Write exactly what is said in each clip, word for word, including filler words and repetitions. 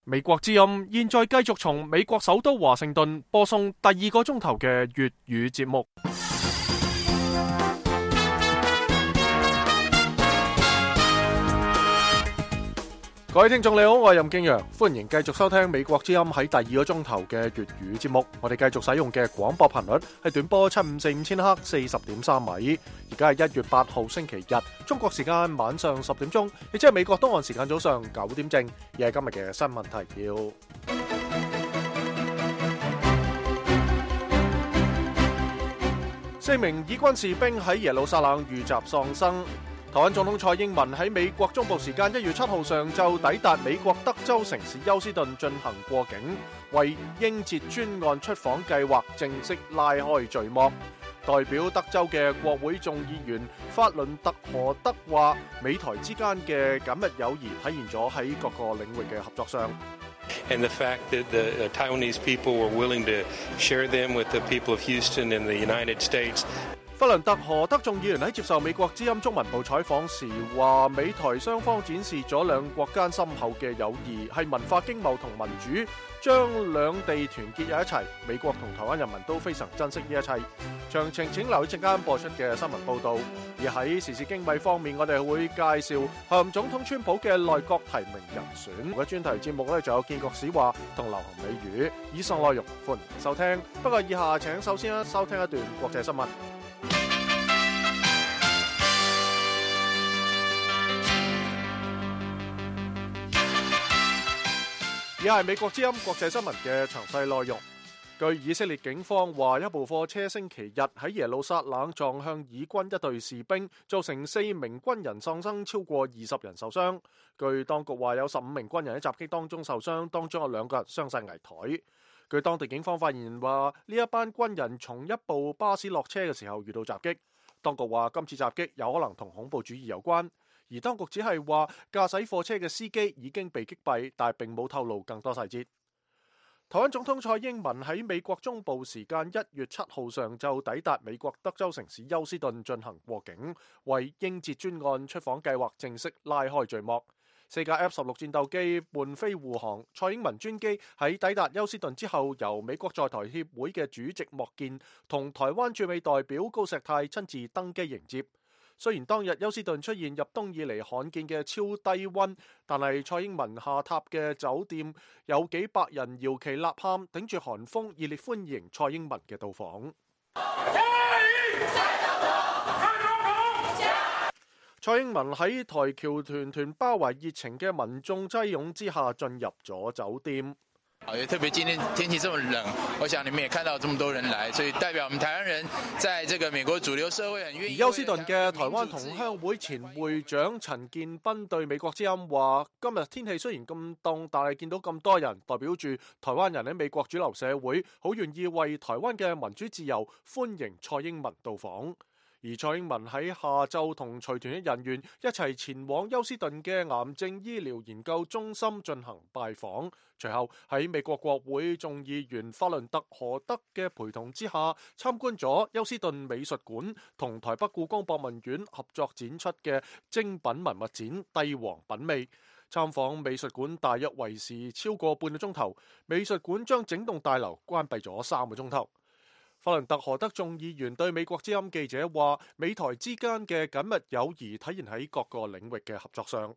美國之音現在繼續從美國首都華盛頓播送第二個鐘頭嘅粵語節目。各位聽眾你好，我係任敬陽，歡迎繼續收聽美國之音喺第二個鐘頭嘅粵語節目。我哋繼續使用嘅廣播頻率係短波七五四五千赫四十點三米。而家係一月八號星期日，中國時間晚上十點鐘，亦即係美國東岸時間早上九點正。而係今日嘅新聞提要：四名以軍士兵喺耶路撒冷遇襲喪生。台灣總統蔡英文喺美國中部時間一月七號上晝抵達美國德州城市休斯頓進行過境，為英捷專案出訪計劃正式拉開序幕。代表德州嘅國會眾議員法倫特何德話，美台之間嘅緊密友誼體現咗喺各個領域嘅合作上。And the fact that the Taiwanese people were willing to share them with the people of Houston and the United States。法倫特何德眾議員喺接受美國之音中文部採訪時話，美台雙方展示咗兩國間深厚嘅友誼，係文化、經貿同民主，將兩地團結喺一齊。美國同台灣人民都非常珍惜呢一切。詳情請留意陣間播出嘅新聞報導。而喺時事經緯方面，我哋會介紹候任總統川普嘅內閣提名人選。嘅專題節目咧，仲有建國史話同流行美語。以上內容歡迎收聽。不過以下請首先收聽一段國際新聞。以下係美國之音國際新聞嘅詳細內容。據以色列警方話，一部貨車星期日喺耶路撒冷撞向以軍一隊士兵，造成四名軍人喪生，超過二十人受傷。據當局話，有十五名軍人喺襲擊當中受傷，當中有兩個人傷勢危殆。據當地警方發言人話，呢一班軍人從一部巴士落車嘅時候遇到襲擊。當局話，今次襲擊有可能同恐怖主義有關。而當局只係話駕駛貨車嘅司機已經被擊斃，但係並冇透露更多細節。台灣總統蔡英文喺美國中部時間一月七號上晝抵達美國德州城市休斯頓進行過境，為英捷專案出訪計劃正式拉開序幕。四架 F 十六戰鬥機伴飛護航，蔡英文專機喺抵達休斯頓之後，由美國在台協會嘅主席莫健同台灣駐美代表高石泰親自登機迎接。雖然當日休斯頓出現入冬以嚟罕見嘅超低溫，但係蔡英文下榻嘅酒店有幾百人搖旗吶喊，頂住寒風熱烈歡迎蔡英文嘅到訪。蔡英文喺台僑團團包圍熱情嘅民眾擠擁之下進入咗酒店。也特別今天天氣這麼冷，我想你們也看到這麼多人來，所以代表我們台灣人在這個美國主流社會很願意。而休斯頓嘅台灣同鄉會前會長陳建斌對美國之音話：今日天氣雖然咁凍，但係見到咁多人，代表住台灣人喺美國主流社會好願意為台灣嘅民主自由歡迎蔡英文到訪。而蔡英文喺下晝同隨團嘅人員一齊前往休斯頓嘅癌症醫療研究中心進行拜訪，隨後喺美國國會眾議員法倫特何德嘅陪同之下，參觀咗休斯頓美術館同台北故宮博物院合作展出嘅精品文物展《帝王品味》。參訪美術館大約維持超過半個鐘頭，美術館將整棟大樓關閉咗三個鐘頭。法倫特何德眾議員對美國之音記者話，美台之間嘅緊密友誼體現喺各個領域嘅合作上。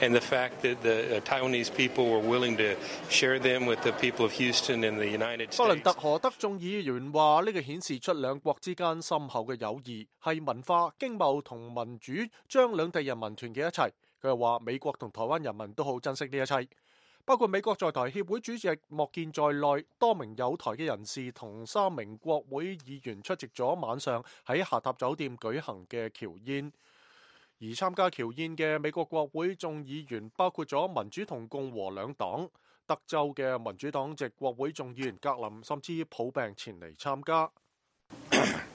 And the fact that the Taiwanese people were willing to share them with the people of Houston and the United States。法倫特何德眾議員話，呢個顯示出兩國之間深厚嘅友誼，係文化、經貿同民主將兩地人民團結一齊。佢又話，美國同台灣人民都好珍惜呢一切。包括美國在台協會主席莫健在內，多名有台嘅人士同三名國會議員出席咗晚上喺下榻酒店舉行嘅僑宴。而參加僑宴嘅美國國會眾議員包括咗民主同共和兩黨。德州嘅民主黨籍國會眾議員格林甚至抱病前嚟參加。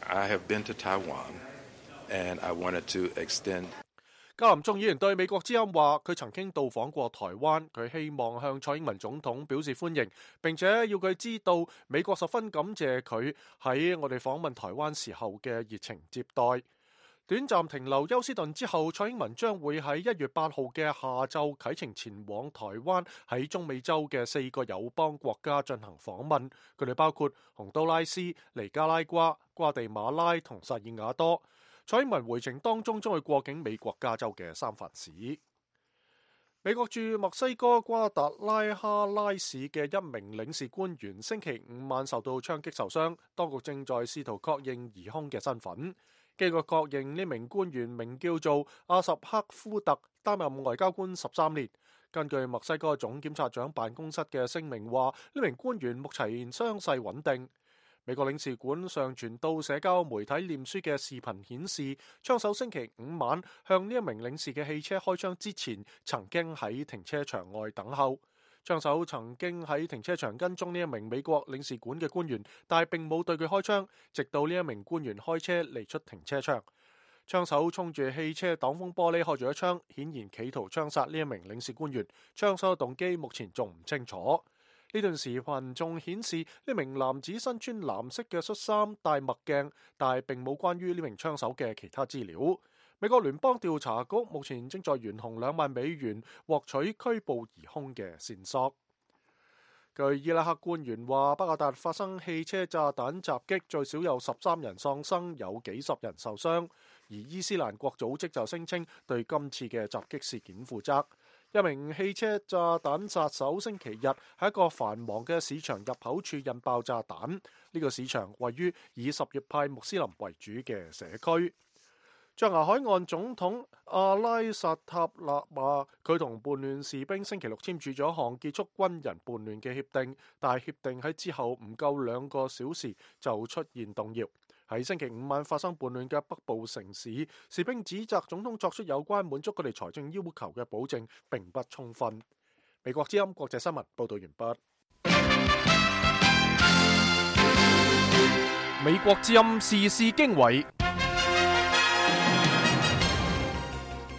I have been to Taiwan, and I wanted to extend。格林眾議員對美國之音話，佢曾經到訪過台灣，佢希望向蔡英文總統表示歡迎，並且要佢知道美國十分感謝佢喺我哋訪問台灣時候嘅熱情接待。短暫停留休斯頓之後，蔡英文將會喺一月八號嘅下晝啟程前往台灣，喺中美洲嘅四個友邦國家進行訪問。佢哋包括洪都拉斯、尼加拉瓜、瓜地馬拉同薩爾瓦多。蔡英文回程當中將會過境美國加州嘅三藩市。美國駐墨西哥瓜達拉哈拉市嘅一名領事官員星期五晚受到槍擊受傷，當局正在試圖確認疑兇嘅身份。經過確認，呢名官員名叫做阿什克夫特，擔任外交官十三年。根據墨西哥總檢察長辦公室嘅聲明話，呢名官員目前傷勢穩定。美國領事館上傳到社交媒體臉書嘅視頻顯示，槍手星期五晚向呢一名領事嘅汽車開槍之前，曾經喺停車場外等候。槍手曾經喺停車場跟蹤呢一名美國領事館嘅官員，但係並冇對佢開槍，直到呢一名官員開車離出停車場。槍手衝住汽車擋風玻璃開咗一槍，顯然企圖槍殺呢一名領事官員。槍手嘅動機目前仲唔清楚。呢段視頻仲顯示呢名男子身穿藍色嘅恤衫、戴墨鏡，但係並冇關於呢名槍手嘅其他資料。美國聯邦調查局目前正在懸紅兩萬美元獲取拘捕疑兇嘅線索。據伊拉克官員話，巴格達發生汽車炸彈襲擊，最少有十三人喪生，有幾十人受傷。而伊斯蘭國組織就聲稱對今次嘅襲擊事件負責。一名汽車炸彈殺手星期日喺一個繁忙嘅市場入口處引爆炸彈。呢、這個市場位於以什葉派穆斯林為主嘅社區。象牙海岸總統阿拉薩塔納話，佢同叛亂士兵星期六簽署咗一項結束軍人叛亂嘅協定，但係協定喺之後唔夠兩個小時就出現動搖。喺星期五晚發生叛亂嘅北部城市，士兵指責總統作出有關滿足佢哋財政要求嘅保證並不充分。美國之音國際新聞報道完畢。美國之音時事經緯，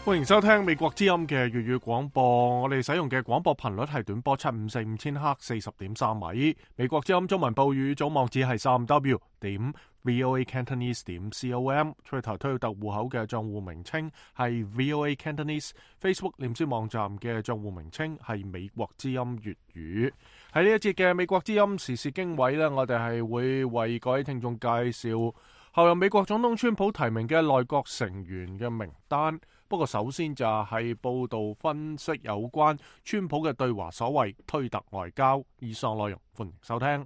歡迎收聽美國之音嘅粵語廣播。我哋使用嘅廣播頻率係短波七五四五千赫四十點三米。美國之音中文報語總網址係三 W 點 V O A Cantonese 點 com。Twitter 推特戶口嘅賬戶名稱係 V O A Cantonese。Facebook 臉書網站嘅賬戶名稱係美國之音粵語。喺呢一節嘅美國之音時事經緯呢，我哋係會為各位聽眾介紹後任美國總統川普提名嘅內閣成員嘅名單。不過首先就係報道分析有關川普嘅對華所謂推特外交。以上內容歡迎收聽。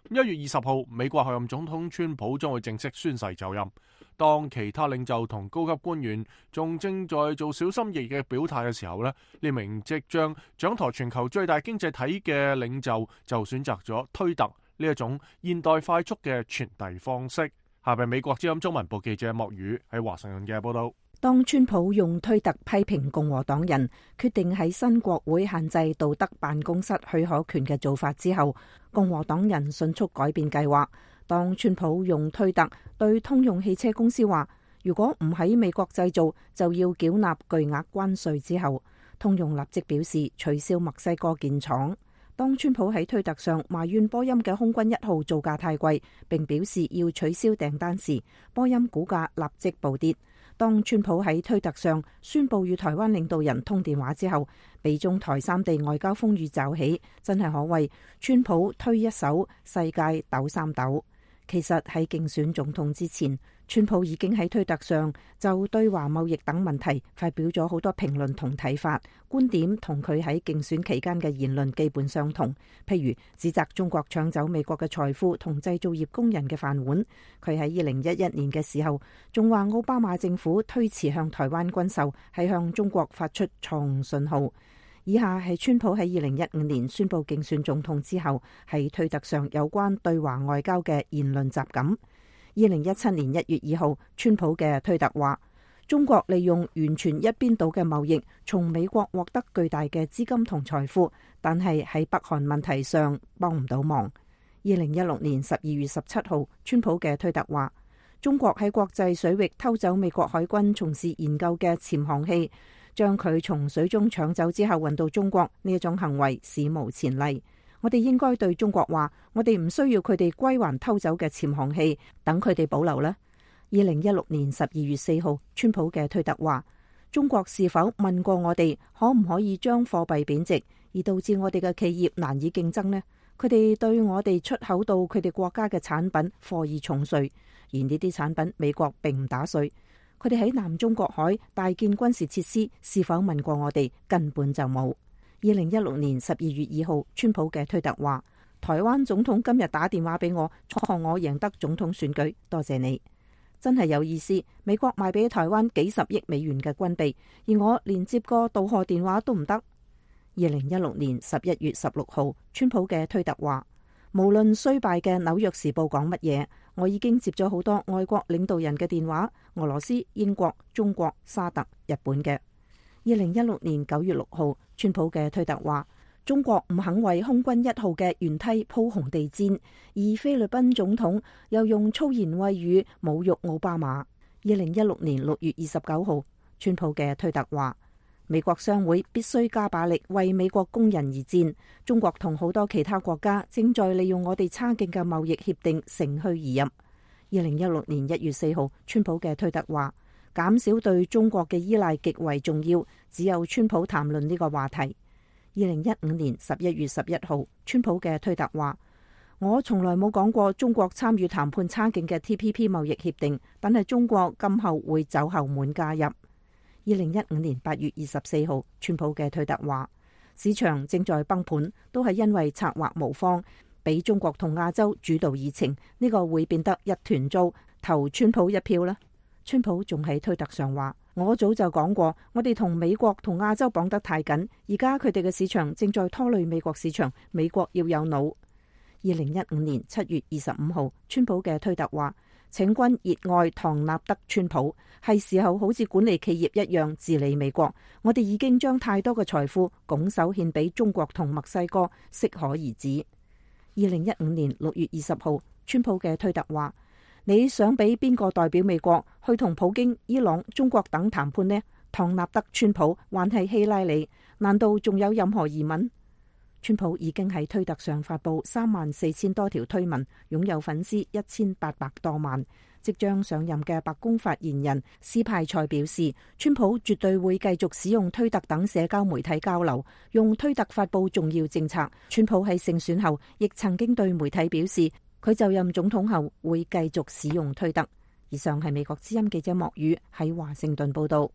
一月二十號，美國候任總統川普將會正式宣誓就任。當其他領袖同高級官員仲正在做小心翼翼嘅表態嘅時候呢，呢名即將掌舵全球最大經濟體嘅領袖就選擇咗推特呢一種現代快速嘅傳遞方式。下邊美國之音中文部記者莫宇喺華盛頓嘅報道。當川普用推特批評共和黨人決定喺新國會限制道德辦公室許可權嘅做法之後，共和黨人迅速改變計劃。當川普用推特對通用汽車公司話，如果唔喺美國製造，就要繳納巨額關稅之後，通用立即表示取消墨西哥建廠。當川普喺推特上埋怨波音嘅空軍一號造價太貴，並表示要取消訂單時，波音股價立即暴跌。當川普喺推特上宣布與台灣領導人通電話之後，美中台三地外交風雨驟起，真係可謂川普推一手，世界抖三抖。其實喺競選總統之前，川普已經喺推特上就對華貿易等問題發表咗好多評論同睇法，觀點同佢喺競選期間嘅言論基本相同。譬如指責中國搶走美國嘅財富同製造業工人嘅飯碗。佢喺二零一一年嘅時候仲話奧巴馬政府推遲向台灣軍售係向中國發出錯誤信號。以下係川普喺二零一五年宣布競選總統之後喺推特上有關對華外交嘅言論集錦。二零一七年一月二號，川普嘅推特話，中國利用完全一邊倒嘅貿易從美國獲得巨大嘅資金同財富，但係喺北韓問題上幫唔到忙。二零一六年十二月十七號，川普嘅推特話，中國喺國際水域偷走美國海軍從事研究嘅潛航器，將佢從水中搶走之後運到中國，呢一種行為史無前例。我哋應該對中國話，我哋唔需要佢哋歸還偷走嘅潛航器，等佢哋保留啦。二零一六年十二月四號，川普嘅推特話：中國是否問過我哋可唔可以將貨幣貶值，而導致我哋嘅企業難以競爭呢？佢哋對我哋出口到佢哋國家嘅產品課以重稅，而呢啲產品美國並唔打稅。佢哋喺南中國海大建軍事設施，是否問過我哋？根本就冇。二零一六年十二月二號，川普嘅推特話：台灣總統今日打電話俾我，祝賀我贏得總統選舉，多謝你。真係有意思，美國賣俾台灣幾十億美元嘅軍備，而我連接個道賀電話都唔得。二零一六年十一月十六號，川普嘅推特話：無論衰敗嘅紐約時報講乜嘢，我已經接咗好多外國領導人嘅電話，俄羅斯、英國、中國、沙特、日本嘅。二零一六年九月六號，川普嘅推特話：中國唔肯為空軍一號嘅舷梯鋪紅地毯，而菲律賓總統又用粗言穢語侮辱奧巴馬。二零一六年六月二十九號，川普嘅推特話：美國商會必須加把力為美國工人而戰。中國同好多其他國家正在利用我哋差勁嘅貿易協定乘虛而入。二零一六年一月四號，川普嘅推特話：減少對中國嘅依賴極為重要，只有川普談論呢個話題。二零一五年十一月十一號，川普嘅推特話：我從來冇講過中國參與談判差勁嘅 T P P 貿易協定，但係中國今後會走後門加入。二零一五年八月二十四號，川普嘅推特話：市場正在崩盤，都係因為策劃無方，俾中國同亞洲主導議程，呢個會變得一團糟，投川普一票啦。川普仲喺推特上話：我早就講過，我哋同美國同亞洲綁得太緊，而家佢哋嘅市場正在拖累美國市場，美國要有腦。二零一五年七月二十五號，川普嘅推特話：請君熱愛唐納德川普，係時候好似管理企業一樣治理美國。我哋已經將太多嘅財富拱手獻俾中國同墨西哥，適可而止。二零一五年六月二十號，川普嘅推特話：你想俾邊個代表美國去同普京、伊朗、中國等談判呢？唐納德川普還係希拉里？難道仲有任何疑問？川普已經喺推特上發布三萬四千多條推文，擁有粉絲一千八百多萬。即將上任嘅白宮發言人斯派塞表示，川普絕對會繼續使用推特等社交媒體交流，用推特發布重要政策。川普喺勝選後亦曾經對媒體表示，佢就任總統後會繼續使用推特。以上係美國之音記者莫宇喺華盛頓報道。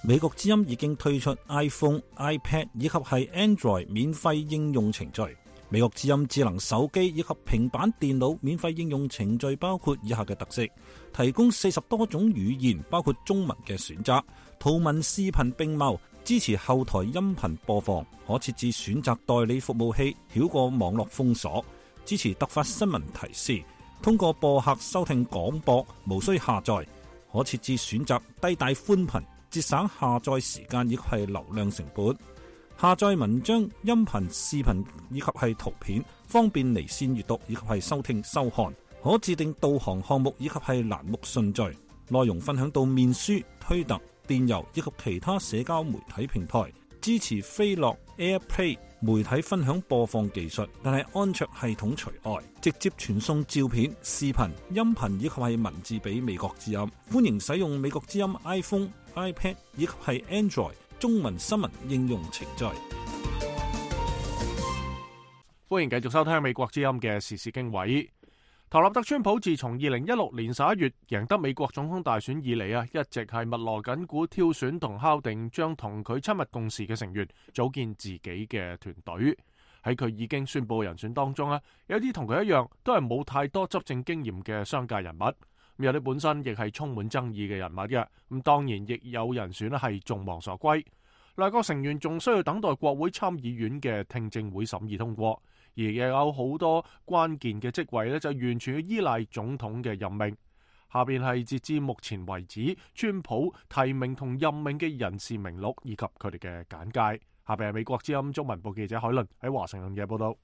美國之音已經推出 iPhone、iPad 以及係 Android 免費應用程序。美國之音智能手機以及平板電腦免費應用程序包括以下嘅特色：提供四十多種語言，包括中文嘅選擇，圖文視頻並茂，支持後台音頻播放，可設置選擇代理服務器，繞過網絡封鎖，支持突發新聞提示，通過播客收聽廣播，無需下載，可設置選擇低帶寬頻，節省下載時間以及係流量成本。下載文章、音頻、視頻以及係圖片，方便離線閱讀以及係收聽收看。可自定導航項目以及係欄目順序。內容分享到面書、推特、電郵以及其他社交媒體平台。支持飛樂 AirPlay 媒體分享播放技術，但係安卓系統除外。直接傳送照片、視頻、音頻以及係文字俾美國之音。歡迎使用美國之音 iPhone、iPad 以及係 Android中文新聞應用程序。歡迎繼續收聽美國之音嘅時事經緯。唐納德川普自從二零一六年十一月贏得美國總統大選以嚟啊，一直係密鑼緊鼓挑選同敲定將同佢親密共事嘅成員組建自己嘅團隊。喺佢已經宣布人選當中啊，有啲同佢一樣都係冇太多執政經驗嘅商界人物，有啲本身亦係充滿爭議嘅人物嘅。咁當然亦有人選咧係眾望所歸。內閣成員仲需要等待國會參議院嘅聽證會審議通過。而又有好多關鍵嘅職位咧，就完全要依賴總統嘅任命。下邊係截至目前為止，川普提名同任命嘅人事名錄以及佢哋嘅簡介。下邊係美國之音中文部記者海倫喺華盛頓嘅報道。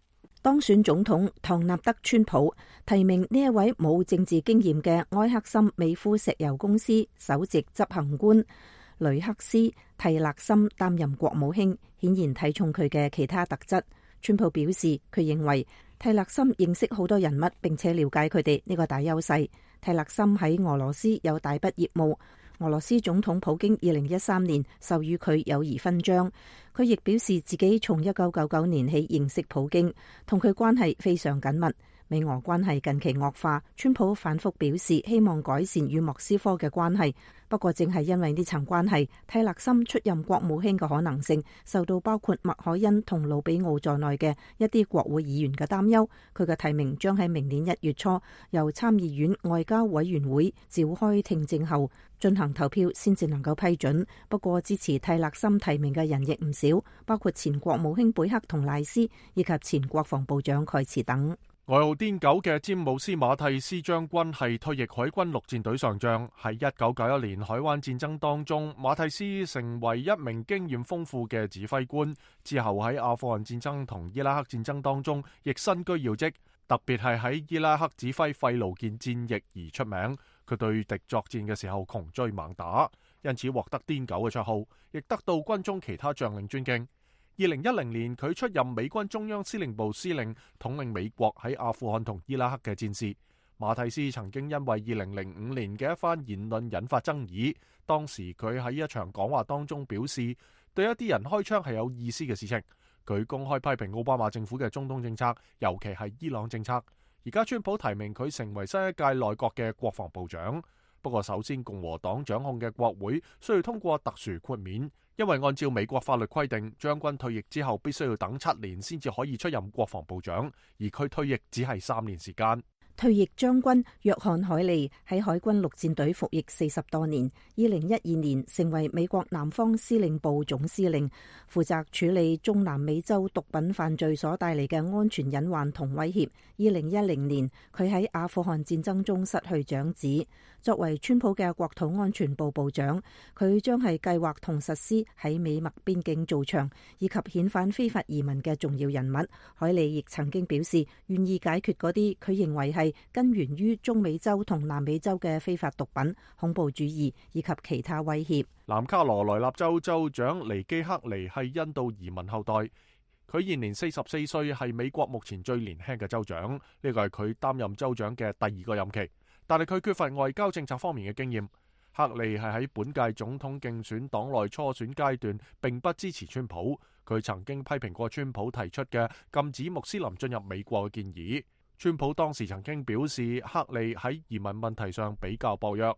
當選總統唐納德川普提名呢一位冇政治經驗嘅埃克森美孚石油公司首席執行官雷克斯蒂勒森擔任國務卿，顯然睇重佢嘅其他特質。川普表示，佢認為蒂勒森認識好多人物並且了解佢哋，呢個大優勢。蒂勒森喺俄羅斯有大筆業務，俄羅斯總統普京二零一三年授予佢友誼勳章。佢亦表示自己從一九九九年起認識普京，同佢關係非常緊密。美俄關係近期惡化，川普反覆表示希望改善與莫斯科嘅關係。不過正係因為呢層關係，蒂勒森出任國務卿嘅可能性受到包括麥凱恩同魯比奧在內嘅一啲國會議員嘅擔憂。佢嘅提名將喺明年一月初由參議院外交委員會召開聽證後進行投票先至能夠批准。不過支持蒂勒森提名嘅人亦唔少，包括前國務卿貝克同賴斯以及前國防部長蓋茨等。外號癲狗嘅詹姆斯馬蒂斯將軍係退役海軍陸戰隊上將，喺一九九一年海灣戰爭當中，馬蒂斯成為一名經驗豐富嘅指揮官。之後喺阿富汗戰爭同伊拉克戰爭當中，亦身居要職，特別係喺伊拉克指揮費盧健戰役而出名。佢對敵作戰嘅時候窮追猛打，因此獲得癲狗嘅綽號，亦得到軍中其他將領尊敬。二零一零年，佢出任美軍中央司令部司令，統領美國喺阿富汗同伊拉克嘅戰事。馬蒂斯曾經因為二零零五年嘅一番言論引發爭議，當時佢喺一場講話當中表示，對一啲人開槍係有意思嘅事情。佢公開批評奧巴馬政府嘅中東政策，尤其係伊朗政策。而家川普提名佢成為新一屆內閣嘅國防部長。不過首先，共和黨掌控嘅國會需要通過特殊豁免，因為按照美國法律規定，將軍退役之後必須要等七年先至可以出任國防部長，而佢退役只係三年時間。退役將軍約翰海利喺海軍陸戰隊服役四十多年，二零一二年成為美國南方司令部總司令，負責處理中南美洲毒品犯罪所帶嚟嘅安全隱患同威脅。二零一零年，佢喺阿富汗戰爭中失去長子。作為川普嘅國土安全部部長，佢將係計劃同實施喺美墨邊境造牆以及遣返非法移民嘅重要人物。海利亦曾經表示願意解決嗰啲佢認為係根源於中美洲同南美洲嘅非法毒品、恐怖主義以及其他威脅。南卡羅來納州州長尼基克尼係印度移民後代，佢現年四十四歲，係美國目前最年輕嘅州長。呢個係佢擔任州長嘅第二個任期，但係佢缺乏外交政策方面嘅經驗。克利係喺本屆總統競選黨內初選階段並不支持川普，佢曾經批評過川普提出嘅禁止穆斯林進入美國嘅建議。川普當時曾經表示，克利喺移民問題上比較薄弱。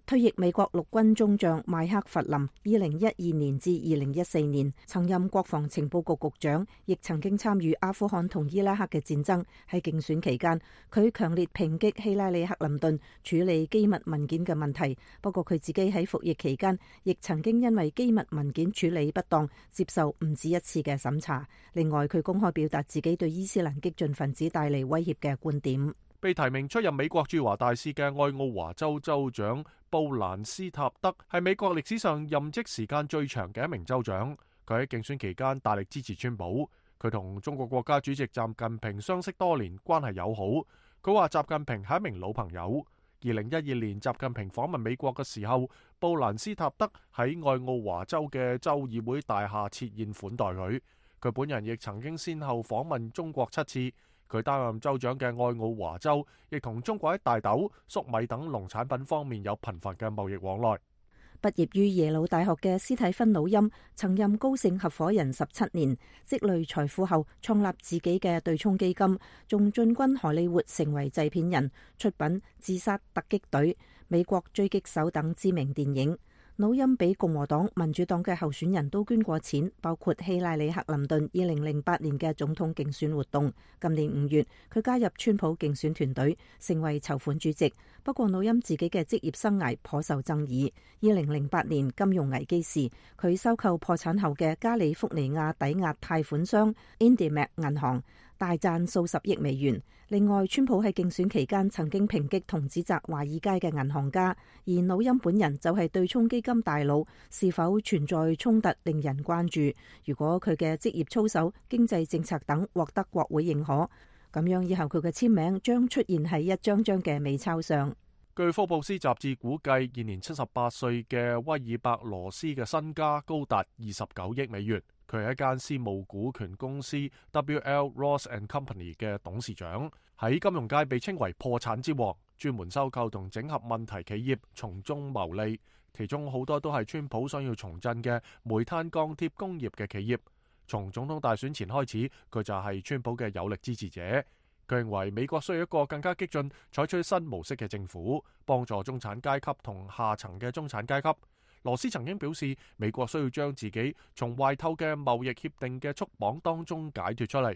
退役美國陸軍中將邁克弗林，二零一二年至二零一四年曾任國防情報局局長，亦曾經參與阿富汗同伊拉克嘅戰爭。喺競選期間，佢強烈抨擊希拉里克林頓處理機密文件嘅問題。不過佢自己喺服役期間，亦曾經因為機密文件處理不當，接受唔止一次嘅審查。另外，佢公開表達自己對伊斯蘭激進分子帶嚟威脅嘅觀點。被提名出任美國駐華大使嘅愛奧華州州長布蘭斯塔德係美國歷史上任職時間最長嘅一名州長。佢喺競選期間大力支持川普。佢同中國國家主席習近平相識多年，關係友好。佢話習近平係一名老朋友。二零一二年習近平訪問美國嘅時候，布蘭斯塔德喺愛奧華州嘅州議會大廈設宴款待佢。佢本人亦曾經先後訪問中國七次。佢擔任州長嘅愛奧華州，亦同中國喺大豆、粟米等農產品方面有頻繁嘅貿易往來。畢業於耶魯大學嘅斯蒂芬努欽，曾任高盛合夥人十七年，積累財富後創立自己嘅對沖基金，仲進軍荷里活成為製片人，出品《自殺突擊隊》、《美國狙擊手》等知名電影。努欽俾共和黨、民主黨嘅候選人都捐過錢，包括希拉里克林頓二零零八年嘅總統競選活動。今年五月，佢加入川普競選團隊，成為籌款主席。不過，努欽自己嘅職業生涯頗受爭議。二零零八年金融危機時，佢收購破產後嘅加利福尼亞抵押貸款商 IndyMac 銀行，大賺數十億美元。另外，川普喺競選期間曾經抨擊同指責華爾街嘅銀行家，而努欽本人就係對沖基金大佬，是否存在衝突令人關注。如果佢嘅職業操守、經濟政策等獲得國會認可，咁樣以後佢嘅簽名將出現喺一張張嘅美鈔上。據福布斯雜誌估計，現年七十八歲嘅威爾伯羅斯嘅身家高達二十九億美元。佢係一間私募股權公司 W L Ross and Company 嘅董事長，喺金融界被稱為破產之王，專門收購同整合問題企業，從中牟利。其中好多都係川普想要重振嘅煤炭鋼鐵工業嘅企業。從總統大選前開始，佢就係川普嘅有力支持者。佢認為美國需要一個更加激進、採取新模式嘅政府，幫助中產階級同下層嘅中產階級。羅斯曾經表示，美國需要將自己從壞透嘅貿易協定嘅束綁當中解脱出嚟。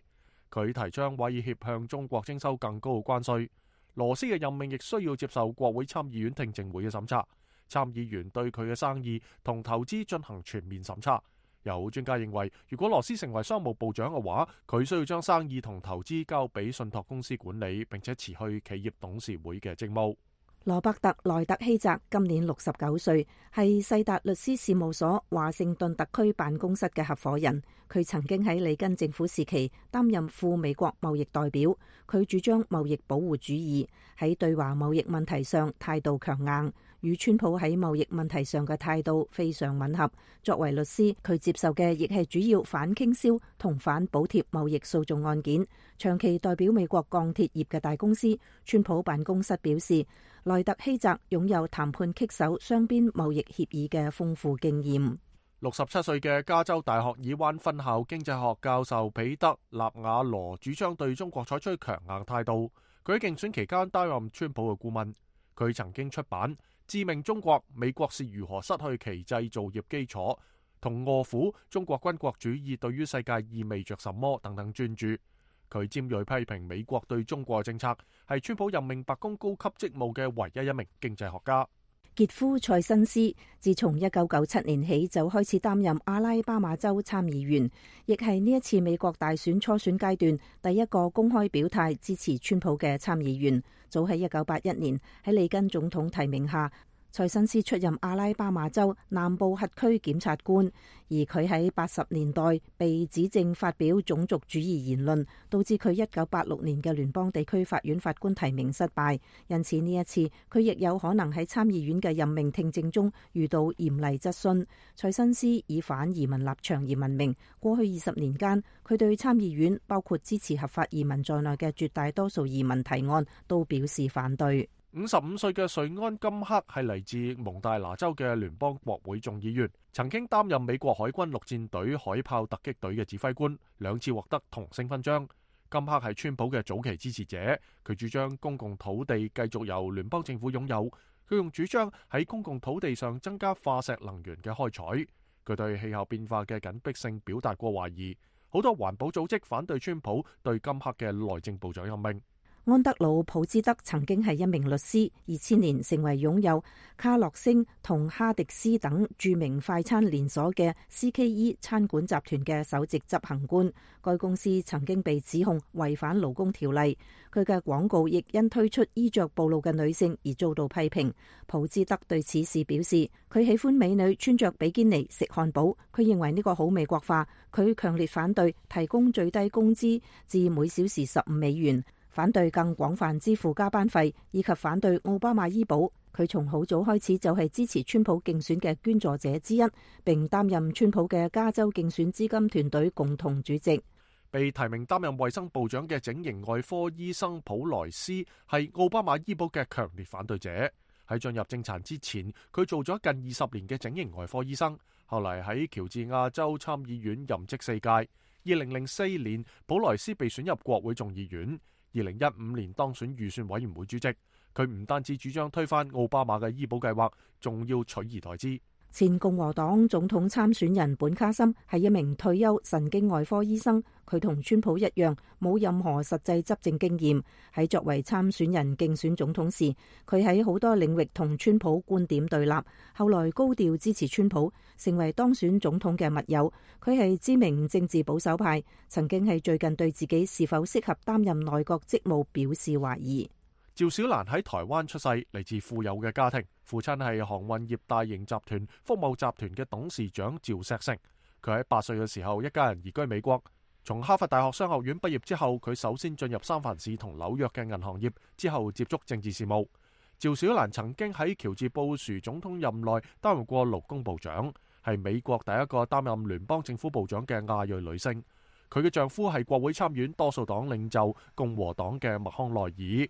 佢提倡威脅向中國徵收更高嘅關稅。羅斯嘅任命亦需要接受國會參議院聽證會嘅審查。參議員對佢嘅生意同投資進行全面審查。有專家認為，如果羅斯成為商務部長嘅話，佢需要將生意同投資交俾信託公司管理，並且辭去企業董事會嘅職務。羅伯特·萊特希澤今年六十九歲，係世達律師事務所華盛頓特區辦公室嘅合夥人。佢曾經喺里根政府時期擔任副美國貿易代表。佢主張貿易保護主義，喺對華貿易問題上態度強硬，與川普喺貿易問題上嘅態度非常吻合。作為律師，佢接受嘅亦係主要反傾銷同反補貼貿易訴訟案件。長期代表美國鋼鐵業嘅大公司，川普辦公室表示，萊特希澤擁有談判棘手雙邊貿易協議嘅豐富經驗。六十七歲嘅加州大學爾灣分校經濟學教授彼得·納瓦羅主張對中國採取強硬態度。佢喺競選期間擔任川普嘅顧問。佢曾經出版《致命中國：美國是如何失去其製造業基礎》同《餓虎：中國軍國主義對於世界意味着什麼》等等專著。佢尖銳批評美國對中國政策，係川普任命白宮高級職務嘅唯一一名經濟學家。傑夫·塞辛斯自從一九九七年起就開始擔任阿拉巴馬州參議員，亦係呢一次美國大選初選階段第一個公開表態支持川普嘅參議員。早喺一九八一年喺里根總統提名下，塞辛斯出任阿拉巴馬州南部轄區檢察官，而佢喺八十年代被指證發表種族主義言論，導致佢一九八六年嘅聯邦地區法院法官提名失敗。因此呢一次佢亦有可能喺參議院嘅任命聽證中遇到嚴厲質詢。塞辛斯以反移民立場而聞名，過去二十年間，佢對參議院包括支持合法移民在內嘅絕大多數移民提案都表示反對。五十五歲嘅瑞安金克係嚟自蒙大拿州嘅聯邦國會眾議員，曾經擔任美國海軍陸戰隊海豹突擊隊嘅指揮官，兩次獲得銅星勳章。金克係川普嘅早期支持者，佢主張公共土地繼續由聯邦政府擁有。佢用主張喺公共土地上增加化石能源嘅開採。佢對氣候變化嘅緊迫性表達過懷疑。好多環保組織反對川普對金克嘅內政部長任命。安德魯·普茲德曾經係一名律師，二千年成為擁有卡樂星同哈迪斯等著名快餐連鎖嘅 C K E 餐館集團嘅首席執行官。該公司曾經被指控違反勞工條例，佢嘅廣告亦因推出衣着暴露嘅女性而遭到批評。普茲德對此事表示，佢喜歡美女穿着比堅尼食漢堡，佢認為呢個好美國化。佢強烈反對提供最低工資至每小時十五美元，反對更廣泛支付加班費，以及反對奧巴馬醫保。佢從好早開始就係支持川普競選嘅捐助者之一，並擔任川普嘅加州競選資金團隊共同主席。被提名擔任衛生部長嘅整形外科醫生普萊斯係奧巴馬醫保嘅強烈反對者。喺進入政壇之前，佢做咗近二十年嘅整形外科醫生，後嚟喺喬治亞州參議院任職四屆。二零零四年，普萊斯被選入國會眾議院。二零一五年當選預算委員會主席，佢唔單止主張推翻奧巴馬嘅醫保計劃，仲要取而代之。前共和黨總統參選人本卡森係一名退休神經外科醫生，佢同川普一樣冇任何實際執政經驗。喺作為參選人競選總統時，佢喺好多領域同川普觀點對立，後來高調支持川普，成為當選總統嘅密友。佢係知名政治保守派，曾經係最近對自己是否適合擔任內閣職務表示懷疑。趙小蘭喺台灣出世，嚟自富有嘅家庭，父親係航運業大型集團福茂集團嘅董事長趙錫成。佢喺八歲嘅時候，一家人移居美國。從哈佛大學商學院畢業之後，佢首先進入三藩市同紐約嘅銀行業，之後接觸政治事務。趙小蘭曾經喺喬治布殊總統任內擔任過勞工部長。係美國第一個擔任聯邦政府部長嘅亞裔女性。佢嘅丈夫係國會參院多數黨領袖共和黨嘅麥康奈爾。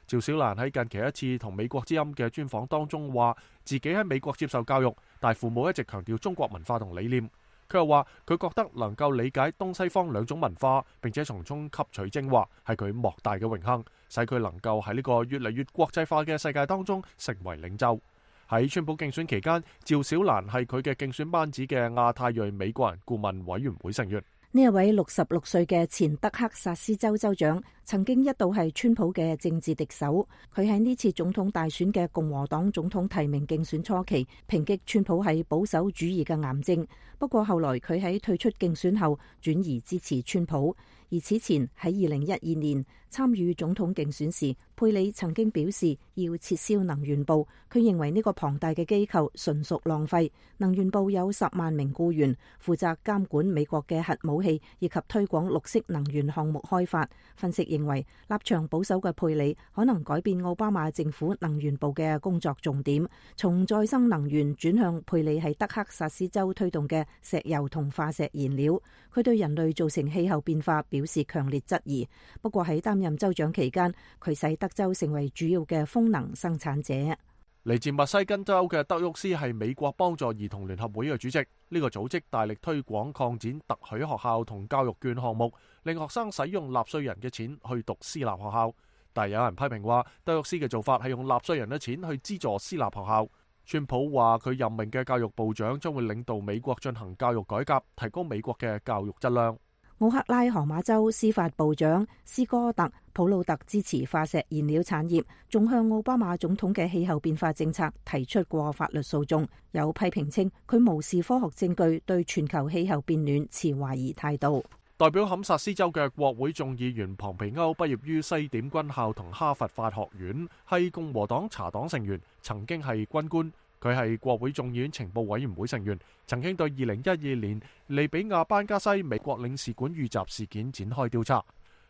趙小蘭喺近期一次同美國之音嘅專訪當中話，自己喺美國接受教育，但父母一直強調中國文化同理念。佢又話佢覺得能夠理解東西方兩種文化，並且從中吸取精華，係佢莫大嘅榮幸，使佢能夠喺呢個越嚟越國際化嘅世界當中成為領袖。喺川普競選期間，趙小蘭係佢嘅競選班子嘅亞太裔美國人顧問委員會成員。呢一位六十六歲嘅前德克薩斯州州長，曾經一度係川普嘅政治敵手。佢喺呢次總統大選嘅共和黨總統提名競選初期，抨擊川普係保守主義嘅癌症。不過後來佢喺退出競選後，轉移支持川普。而此前喺二零一二年參與總統競選時，佩里曾經表示要撤銷能源部。佢認為呢個龐大嘅機構純屬浪費。能源部有十萬名僱員，負責監管美國嘅核武器以及推廣綠色能源項目開發。分析認為，立場保守嘅佩里可能改變奧巴馬政府能源部嘅工作重點，從再生能源轉向佩里喺德克薩斯州推動嘅石油同化石燃料。佢對人類造成氣候變化表示強烈質疑。不過喺擔任州長期間，佢使德州成為主要嘅風能生產者。嚟自密西根州嘅德沃斯係美國幫助兒童聯合會嘅主席。呢個組織大力推廣擴展特許學校同教育券項目，令學生使用納稅人嘅錢去讀私立學校。但係有人批評話，德沃斯嘅做法係用納稅人嘅錢去資助私立學校。川普話佢任命嘅教育部長將會領導美國進行教育改革，提高美國嘅教育質量。奧克拉荷馬州司法部長斯哥特普魯特支持化石燃料產業，仲向奧巴馬總統嘅氣候變化政策提出過法律訴訟。有批評稱佢無視科學證據，對全球氣候變暖持懷疑態度。代表堪薩斯州嘅國會眾議員龐皮歐畢業於西點軍校同哈佛法學院，係共和黨茶黨成員，曾經係軍官。佢係國會眾議院情報委員會成員，曾經對二零一二年利比亞班加西美國領事館遇襲事件展開調查。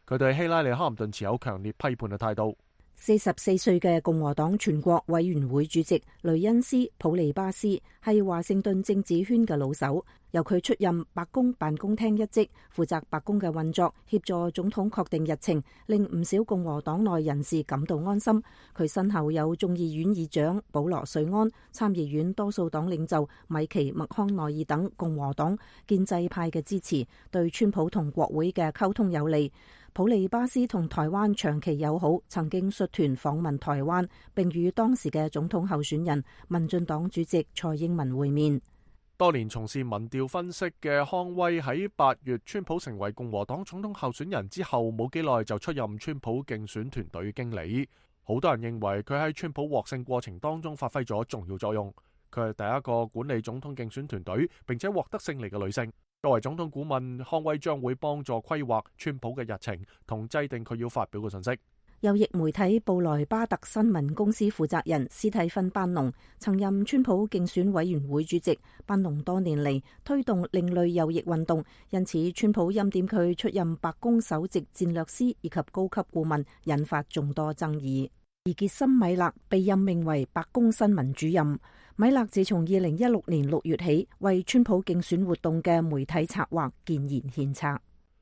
佢對希拉里·哈林頓持有強烈批判嘅態度。四十四歲嘅共和黨全國委員會主席雷恩斯·普利巴斯係華盛頓政治圈嘅老手，由佢出任白宮辦公廳一職，負責白宮嘅運作，協助總統確定日程，令唔少共和黨內人士感到安心。佢身後有眾議院議長保羅·瑞安、參議院多數黨領袖米奇·麥康奈爾等共和黨建制派嘅支持，對川普同國會嘅溝通有利。普利巴斯同台灣長期友好，曾經率團訪問台灣，並與當時嘅總統候選人民進黨主席蔡英文會面。多年從事民調分析嘅康威喺八月川普成為共和黨總統候選人之後冇幾耐就出任川普競選團隊經理。好多人認為佢喺川普獲勝過程當中發揮咗重要作用。佢係第一個管理總統競選團隊並且獲得勝利嘅女性。作為總統顧問，康威將會幫助規劃川普嘅日程同制定佢要發表嘅信息。右翼媒體布萊巴特新聞公司負責人斯蒂芬班農曾任川普競選委員會主席。班農多年嚟推動另類右翼運動，因此川普欽點佢出任白宮首席戰略師以及高級顧問，引發眾多爭議。而傑森米勒被任命為白宮新聞主任。米勒自從二零一六年六月起，為川普競選活動嘅媒體策劃建言獻策。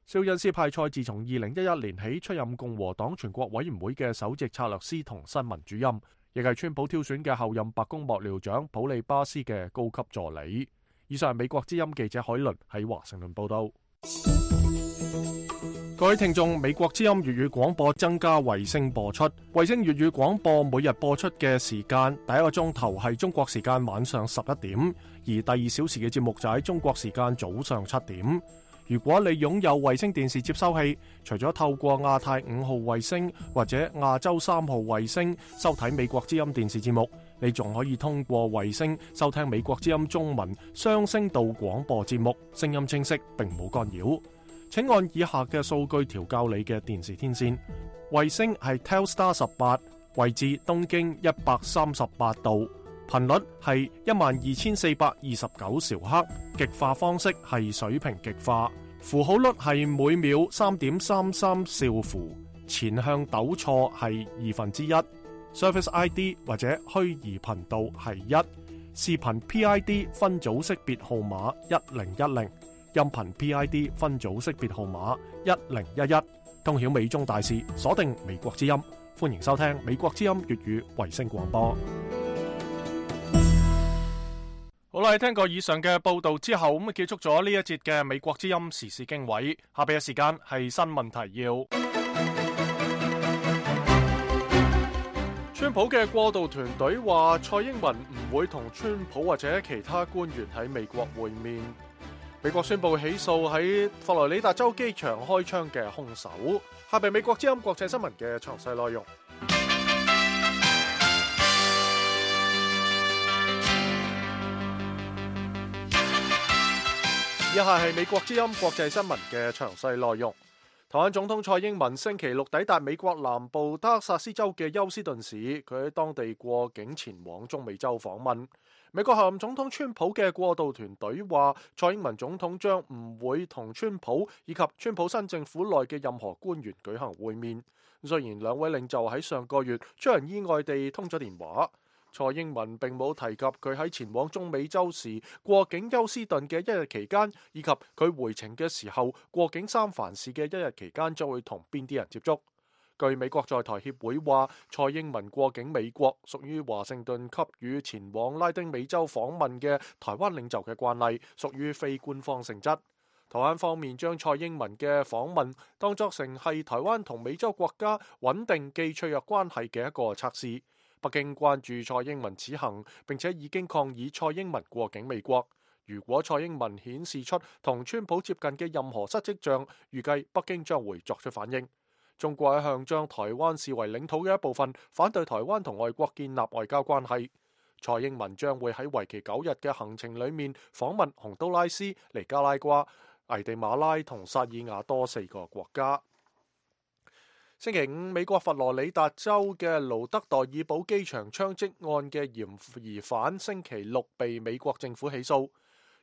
肖恩斯派塞自從二零一一年起出任共和黨全國委員會嘅首席策略師同新聞主任，亦係川普挑選嘅後任白宮幕僚長普利巴斯嘅高級助理。以上係美國之音記者海倫喺華盛頓報道。各位聽眾，美國之音粵語廣播增加衛星播出。衛星粵語廣播每日播出嘅時間，第一個鐘頭係中國時間晚上十一點，而第二小時嘅節目就喺中國時間早上七點。如果你擁有衛星電視接收器，除咗透過亞太五號衛星或者亞洲三號衛星收睇美國之音電視節目，你仲可以通過衛星收聽美國之音中文雙聲道廣播節目，聲音清晰並冇干擾。請按以下嘅數據調校你嘅電視天線。衛星係 Telstar 十八，位置東經一百三十八度，頻率係一萬二千四百二十九兆赫，極化方式係水平極化，符號率係每秒三點三三兆符，前向抖錯係二分之一，Service I D 或者虛擬頻道係一，視頻 P I D 分組識別號碼一零一零，音頻 P I D 分組識別號碼一零一一，通曉美中大事，鎖定美國之音。歡迎收聽美國之音粵語衛星廣播。好啦，聽過以上嘅報道之後，咁啊結束咗呢一節嘅美國之音時事經緯。下邊嘅時間係新聞提要。川普嘅過渡團隊話，蔡英文唔會同川普或者其他官員喺美國會面。美國宣布起訴喺佛羅里達州機場開槍嘅兇手。下邊美國之音國際新聞嘅詳細內容。以下係美國之音國際新聞嘅詳細內容。台灣總統蔡英文星期六抵達美國南部德克薩斯州嘅休斯頓市，佢喺當地過境前往中美洲訪問。美國候任總統川普嘅過渡團隊話，蔡英文總統將唔會同川普以及川普新政府內嘅任何官員舉行會面。雖然兩位領袖喺上個月出人意外地通咗電話，蔡英文並冇提及佢喺前往中美洲時過境休斯頓嘅一日期間，以及佢回程嘅時候過境三藩市嘅一日期間將會同邊啲人接觸。據美國在台協會話，蔡英文過境美國屬於華盛頓給予前往拉丁美洲訪問嘅台灣領袖嘅慣例，屬於非官方性質。台灣方面將蔡英文嘅訪問當作成係台灣同美洲國家穩定既脆弱關係嘅一個測試。北京關注蔡英文此行，並且已經抗議蔡英文過境美國。如果蔡英文顯示出同川普接近嘅任何失跡象，預計北京將會作出反應。中國一向將台灣視為領土嘅一部分，反對台灣同外國建立外交關係。蔡英文將會喺為期九日嘅行程裏面訪問洪都拉斯、尼加拉瓜、危地馬拉同薩爾瓦多四個國家。星期五，美國佛羅里達州嘅盧德代爾堡機場槍擊案嘅嫌疑犯星期六被美國政府起訴。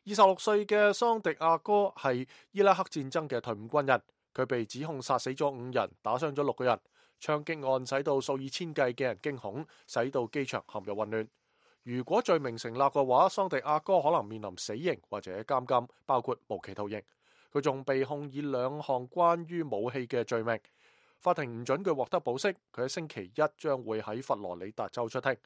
二十六歲嘅桑迪亞哥係伊拉克戰爭嘅退伍軍人。佢被指控殺死咗五人，打傷咗六個人。槍擊案使到數以千計嘅人驚恐，使到機場陷入混亂。如果罪名成立嘅話，桑迪亞哥可能面臨死刑或者監禁，包括無期徒刑。佢仲被控以兩項關於武器嘅罪名。法庭唔准佢獲得保釋。佢喺星期一將會喺佛羅里達州出庭。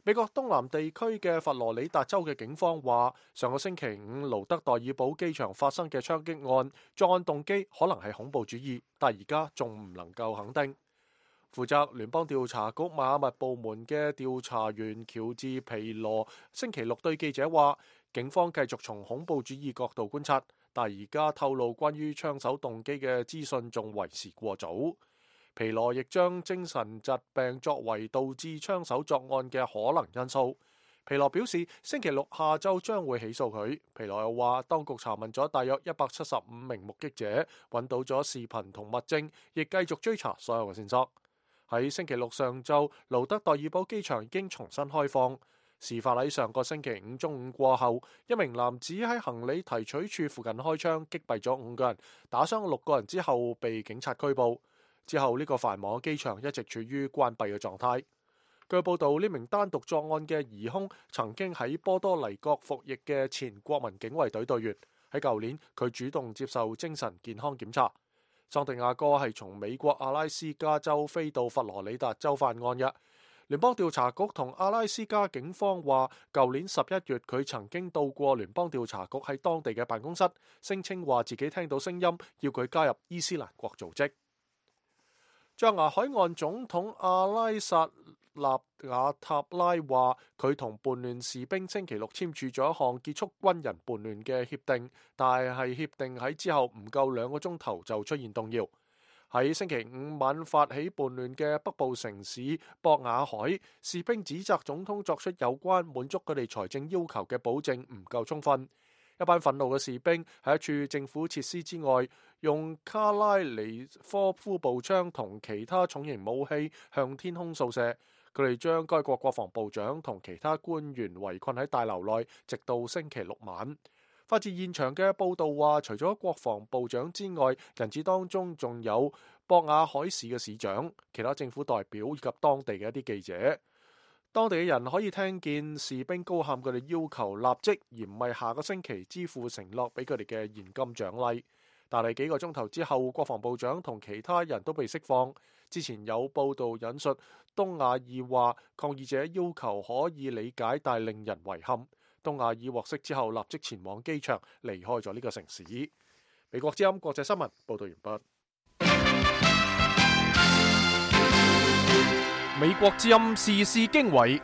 美國東南地區嘅佛羅里達州嘅警方話，上個星期五盧德代爾堡機場發生嘅槍擊案，作案動機可能係恐怖主義，但而家仲唔能夠肯定。負責聯邦調查局邁阿密部門嘅調查員喬治皮羅星期六對記者話，警方繼續從恐怖主義角度觀察，但而家透露關於槍手動機嘅資訊仲為時過早。皮羅亦將精神疾病作為導致槍手作案嘅可能因素。皮羅表示，星期六下晝將會起訴佢。皮羅又話，當局查問咗大約一百七十五名目擊者，揾到咗視頻同物證，亦繼續追查所有嘅線索。喺星期六上晝，盧德代爾堡機場已經重新開放。事發喺上個星期五中午過後，一名男子喺行李提取處附近開槍，擊斃咗五個人，打傷六個人之後被警察拘捕。之後呢個繁忙機場一直處於關閉嘅狀態。據報道，呢名單獨作案嘅疑兇曾經喺波多黎各服役嘅前國民警衛隊隊員。喺舊年，佢主動接受精神健康檢查。桑迪亞哥係從美國阿拉斯加州飛到佛羅里達州犯案嘅。聯邦調查局同阿拉斯加警方話，舊年十一月佢曾經到過聯邦調查局喺當地嘅辦公室，聲稱話自己聽到聲音，要佢加入伊斯蘭國組織。象牙海岸總統阿拉薩納瓦塔拉話，佢同叛亂士兵星期六簽署咗一項結束軍人叛亂嘅協定，但係協定喺之後唔夠兩個鐘頭就出現動搖。喺星期五晚發起叛亂嘅北部城市博雅海，士兵指責總統作出有關滿足佢哋財政要求嘅保證唔夠充分。一班憤怒嘅士兵喺一處政府設施之外，用卡拉尼科夫步槍同其他重型武器向天空掃射。佢哋將該國國防部長同其他官員圍困喺大樓內，直到星期六晚。發自現場嘅報道話，除咗國防部長之外，人質當中仲有博雅海市嘅市長、其他政府代表以及當地嘅一啲記者。當地嘅人可以聽見士兵高喊佢哋要求立即，而唔係下個星期支付承諾俾佢哋嘅現金獎勵。但係幾個鐘頭之後，國防部長同其他人都被釋放。之前有報道引述東亞爾話，抗議者要求可以理解，但令人遺憾。東亞爾獲釋之後，立即前往機場離開咗呢個城市。美國之音國際新聞報道完畢。美國之音時事經緯。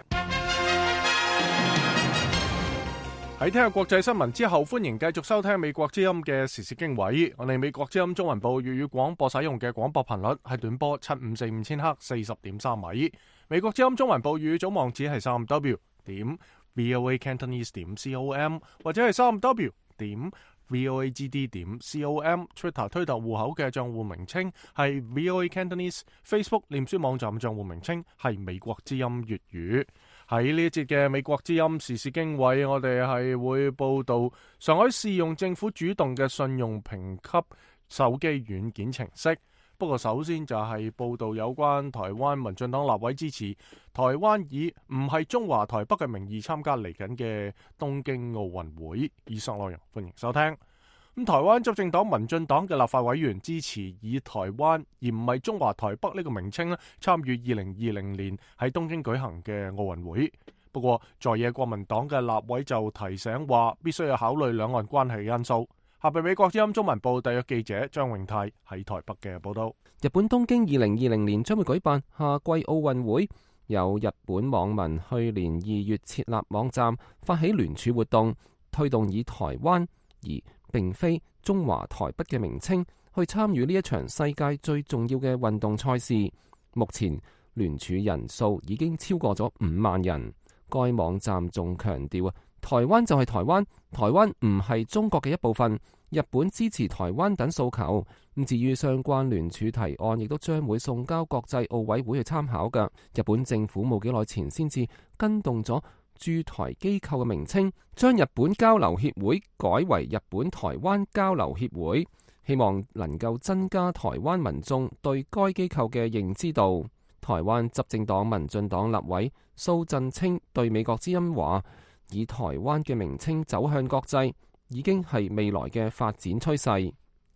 喺聽下國際新聞之後，歡迎繼續收聽美國之音嘅時事經緯。我哋美國之音中文部粵語廣播使用嘅廣播頻率係短波七五四五千赫四十點三米。美國之音中文部粵語總網址係三 w 點 voa cantonese 點 com 或者係三 w 點 voa gd 點 com。Twitter 推特戶口嘅賬戶名稱係 voa cantonese。Facebook 臉書網站賬戶名稱係美國之音粵語。喺呢一節嘅美國之音時事經緯，我哋係會報道上海試用政府主動嘅信用評級手機軟件程式。不過首先就係報道有關台灣民進黨立委支持台灣以唔係中華台北嘅名義參加嚟緊嘅東京奧運會。以上內容歡迎收聽。咁台灣執政黨民進黨嘅立法委員支持以台灣而唔係中華台北呢個名稱咧參與二零二零年喺東京舉行嘅奧運會。不過在野國民黨嘅立委就提醒話，必須要考慮兩岸關係因素。下邊美國之音中文部特約記者張永泰喺台北嘅報道。日本東京二零二零年將會舉辦夏季奧運會，有日本網民去年二月設立網站，發起聯署活動，推動以台灣而並非中華台北嘅名稱去參與呢一場世界最重要嘅運動賽事。目前聯署人數已經超過咗五萬人。該網站仲強調啊，台灣就係台灣，台灣唔係中國嘅一部分。日本支持台灣等訴求。咁至於相關聯署提案，亦都將會送交國際奧委會去參考㗎。日本政府冇幾耐前先至跟動咗駐台機構嘅名稱，將日本交流協會改為日本台灣交流協會，希望能夠增加台灣民眾對該機構嘅認知度。台灣執政黨民進黨立委蘇震清對美國之音話，以台灣嘅名稱走向國際已經係未來嘅發展趨勢。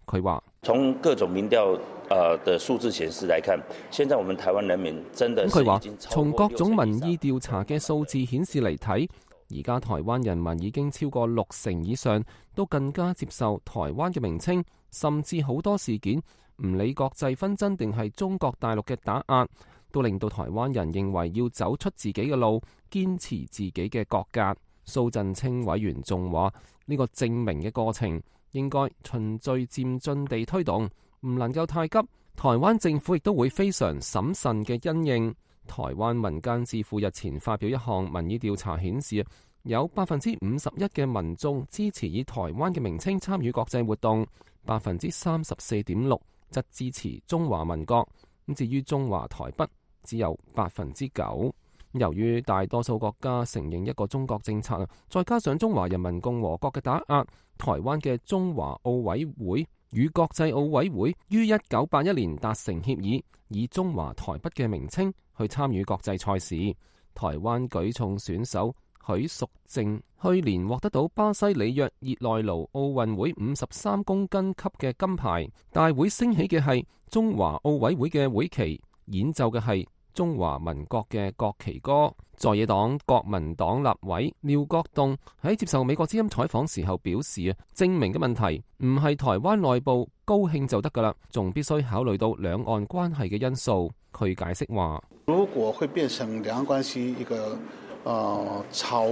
佢話：從各種民調誒的數字顯示來看，現在我們台灣人民真的是已經超過六成以上。從各種民意調查嘅數字顯示嚟睇，而家台灣人民已經超過六成以上都更加接受台灣嘅名稱，甚至好多事件唔理國際紛爭定係中國大陸嘅打壓，都令到台灣人認為要走出自己嘅路，堅持自己嘅國格。蘇震清委員仲話：呢個證明嘅過程應該循序漸進地推動，唔能夠太急。台灣政府亦都會非常審慎嘅因應。台灣民間智庫日前發表一項民意調查顯示，有百分之五十一嘅民眾支持以台灣嘅名稱參與國際活動，百分之三十四點六則支持中華民國。咁至於中華台北，只有百分之九。由於大多數國家承認一個中國政策，再加上中華人民共和國嘅打壓，台灣嘅中華奧委會與國際奧委會於一九八一年達成協議，以中華台北嘅名稱去參與國際賽事。台灣舉重選手許淑淨去年獲得到巴西里約熱內盧奧運會五十三公斤級嘅金牌。大會升起嘅係中華奧委會嘅會旗，演奏嘅係中華民國嘅國旗歌。在野黨國民黨立委廖國棟喺接受美國之音採訪時候表示啊，證明嘅問題唔係台灣內部高興就得噶啦，仲必須考慮到兩岸關係嘅因素。佢解釋話：如果會變成兩岸關係一個呃朝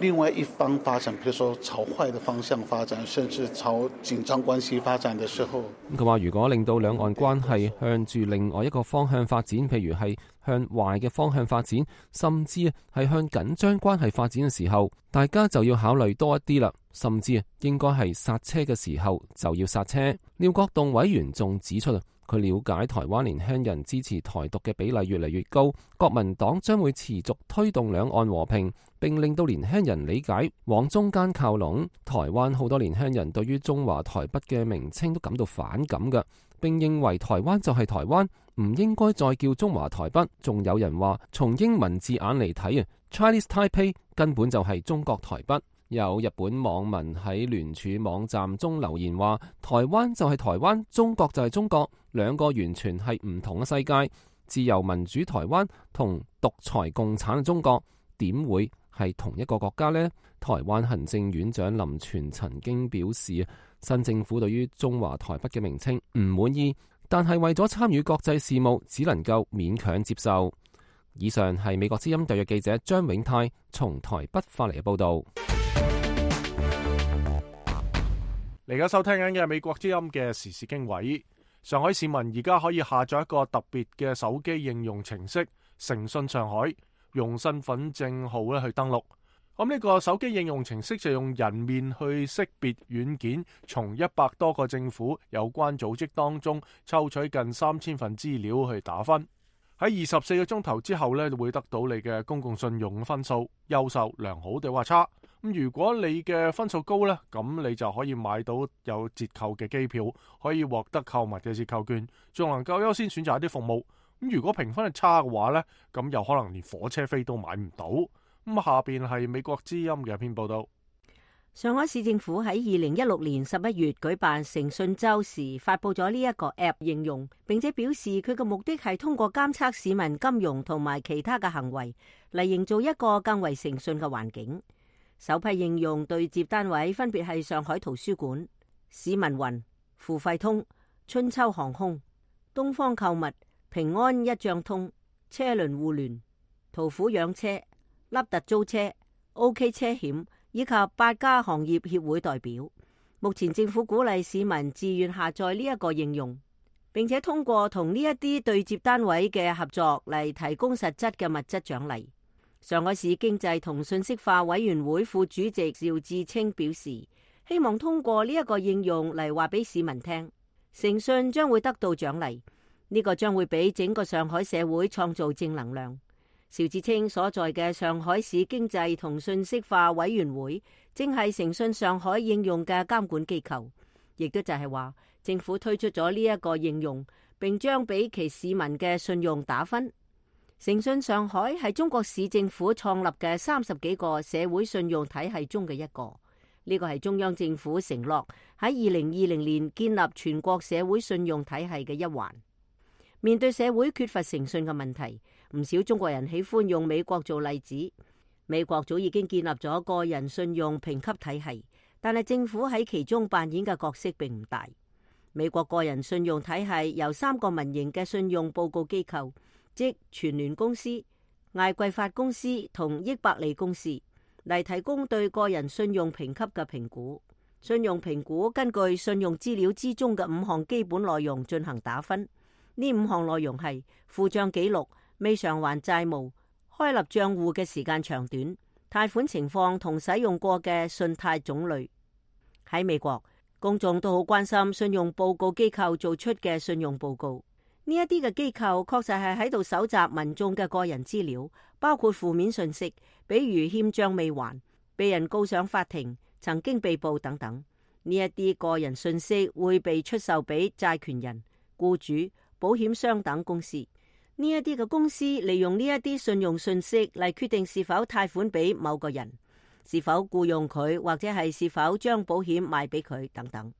另外一方發展，譬如說朝壞的方向發展，甚至朝緊張關係發展的時候，佢話如果令到兩岸關係向住另外一個方向發展，譬如係向壞嘅方向發展，甚至係向緊張關係發展嘅時候，大家就要考慮多一啲啦，甚至應該係剎車嘅時候就要剎車。廖國棟委員仲指出啊，佢了解台灣年輕人支持台獨嘅比例越嚟越高，國民黨將會持續推動兩岸和平，並令到年輕人理解往中間靠攏。台灣好多年輕人對於中華台北嘅名稱都感到反感嘅，並認為台灣就係台灣，唔應該再叫中華台北。仲有人話，從英文字眼嚟睇啊，Chinese Taipei 根本就係中國台北。有日本網民喺聯署網站中留言話，台灣就係台灣，中國就係中國，兩個完全係唔同嘅世界。自由民主台灣同獨裁共產嘅中國點會係同一個國家呢？台灣行政院長林全曾經表示，新政府對於中華台北嘅名稱唔滿意，但係為咗參與國際事務，只能夠勉強接受。以上係美國之音特約記者張永泰從台北發嚟嘅報道。嚟家收聽緊嘅美國之音嘅時事經緯。上海市民而家可以下載一個特別嘅手機應用程式誠信上海，用身份證號咧去登錄。咁呢個手機應用程式就用人面去識別軟件，從一百多個政府有關組織當中抽取近三千份資料去打分。喺二十四個鐘頭之後咧，會得到你嘅公共信用分數，優秀、良好定話差。咁如果你嘅分數高呢，咁你就可以買到有折扣嘅機票，可以獲得購物嘅折扣券，仲能夠優先選擇一啲服務。咁如果評分係差嘅話呢，咁又可能連火車飛都買唔到。咁下邊係美國之音嘅一篇報道。上海市政府喺二零一六年十一月舉辦誠信週時，發佈咗呢一個 App 應用，並且表示佢嘅目的係通過監測市民金融同埋其他嘅行為，嚟營造一個更為誠信嘅環境。首批應用對接單位分別係上海圖書館、市民雲、付費通、春秋航空、東方購物、平安一賬通、車輪互聯、途虎養車、凹凸租車、OK 車險以及八家行業協會代表。目前政府鼓勵市民自願下載呢一個應用，並且通過同呢一啲對接單位嘅合作嚟提供實質嘅物質獎勵。上海市經濟同信息化委員會副主席趙志清表示，希望通過呢一個應用嚟話俾市民聽，誠信將會得到獎勵，呢個將會俾整個上海社會創造正能量。趙志清所在嘅上海市經濟同信息化委員會正係誠信上海應用嘅監管機構，亦都就係話政府推出咗呢一個應用，並將俾其市民嘅信用打分。誠信上海係中國市政府創立嘅三十幾個社會信用體系中嘅一個，呢個係中央政府承諾喺二零二零年建立全國社會信用體系嘅一環。面對社會缺乏誠信嘅問題，唔少中國人喜歡用美國做例子。美國早已經建立咗個人信用評級體系，但係政府喺其中扮演嘅角色並唔大。美國個人信用體系由三個民營嘅信用報告機構，即全聯公司、艾桂發公司同益百利公司嚟提供對個人信用評級嘅評估。信用評估根據信用資料之中嘅五項基本內容進行打分。呢五項內容係付賬記錄、未償還債務、開立賬戶嘅時間長短、貸款情況同使用過嘅信貸種類。喺美國，公眾都好關心信用報告機構做出嘅信用報告。呢一啲嘅機構確實係喺度搜集民眾嘅個人資料，包括負面信息，比如欠賬未還、被人告上法庭、曾經被捕等等。呢一啲個人信息會被出售俾債權人、僱主、保險商等公司。呢一啲嘅公司利用呢一啲信用信息嚟決定是否貸款俾某個人，是否僱傭佢，或者係是否將保險賣俾佢等等。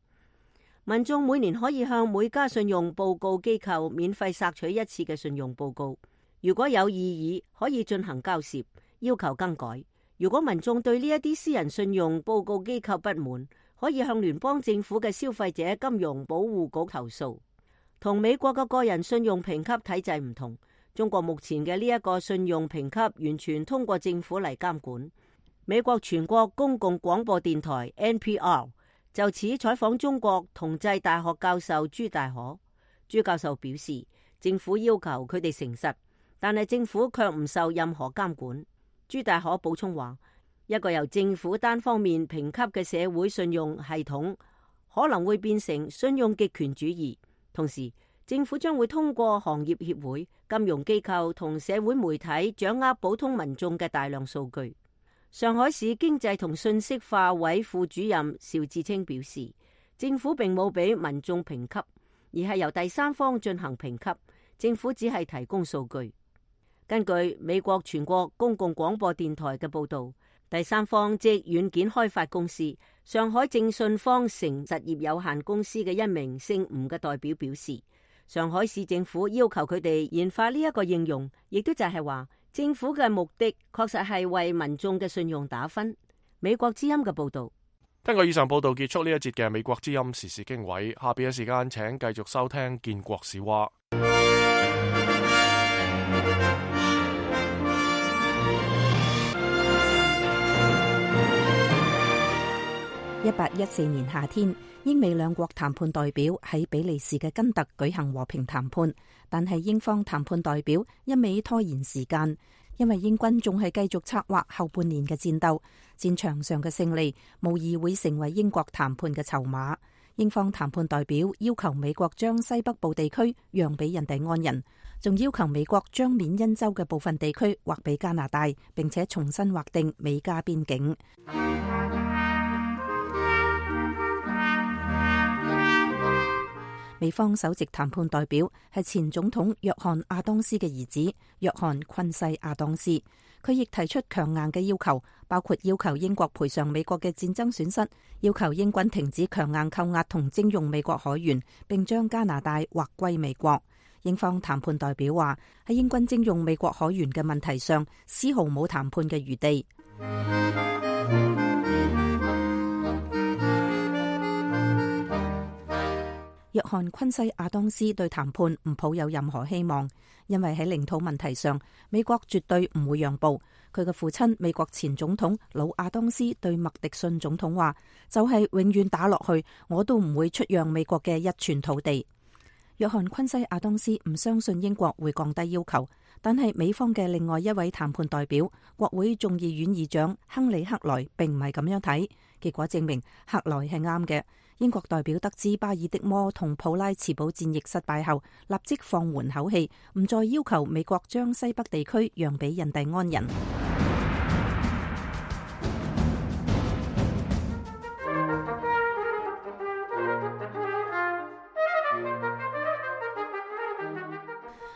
民眾每年可以向每家信用報告機構免費索取一次嘅信用報告，如果有異議，可以進行交涉，要求更改。如果民眾對呢一啲私人信用報告機構不滿，可以向聯邦政府嘅消費者金融保護局投訴。同美國嘅個人信用評級體制唔同，中國目前嘅呢一個信用評級完全通過政府嚟監管。美國全國公共廣播電台 N P R 就此採訪中國同濟大學教授朱大可。朱教授表示，政府要求佢哋誠實，但係政府卻唔受任何監管。朱大可補充話，一個由政府單方面評級嘅社會信用系統可能會變成信用極權主義，同時政府將會通過行業協會、金融機構同社會媒體掌握普通民眾嘅大量數據。上海市經濟同信息化委副主任邵志清表示，政府並冇俾民眾評級，而係由第三方進行評級，政府只係提供數據。根據美國全國公共廣播電台嘅報導，第三方即軟件開發公司上海正信方城實業有限公司嘅一名姓吳嘅代表表示，上海市政府要求佢哋研發呢一個應用，亦都就係話政府嘅目的確實係為民眾嘅信用打分。美國之音嘅報導。根據以上報導結束呢一節嘅美國之音時事經緯，下邊嘅時間請繼續收聽建國史話。一八一四年夏天，英美兩國談判代表喺比利時嘅根特舉行和平談判，但係英方談判代表一味拖延時間，因為英軍仲係繼續策劃後半年嘅戰鬥，戰場上嘅勝利無疑會成為英國談判嘅籌碼。英方談判代表要求美國將西北部地區讓俾印第安人，仲要求美國將緬因州嘅部分地區劃俾加拿大，並且重新劃定美加邊境。美方首席談判代表係前總統約翰亞當斯嘅兒子約翰昆西亞當斯，佢亦提出強硬嘅要求，包括要求英國賠償美國嘅戰爭損失，要求英軍停止強硬扣押同徵用美國海員，並將加拿大劃歸美國。英方談判代表話，喺英軍徵用美國海員嘅問題上，絲毫冇談判嘅餘地。約翰昆西亞當斯對談判唔抱有任何希望，因為喺領土問題上，美國絕對唔會讓步。佢嘅父親美國前總統老亞當斯對麥迪遜總統話，就係永遠打落去，我都唔會出讓美國嘅一寸土地。約翰昆西亞當斯唔相信英國會降低要求，但係美方嘅另外一位談判代表國會眾議院議長亨利克萊並唔係咁樣睇，結果證明克萊係啱嘅。英國代表得知巴爾的摩同普拉茨堡戰役失敗後，立即放緩口氣，唔再要求美國將西北地區讓俾印第安人。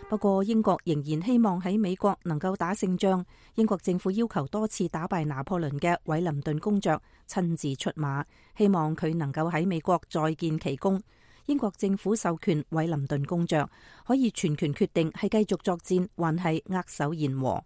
不過英國仍然希望喺美國能夠打勝仗。英國政府要求多次打敗拿破崙嘅韋林頓公爵親自出馬，希望佢能夠喺美國再建奇功。英國政府授權韋林頓公爵可以全權決定係繼續作戰，還係握手言和。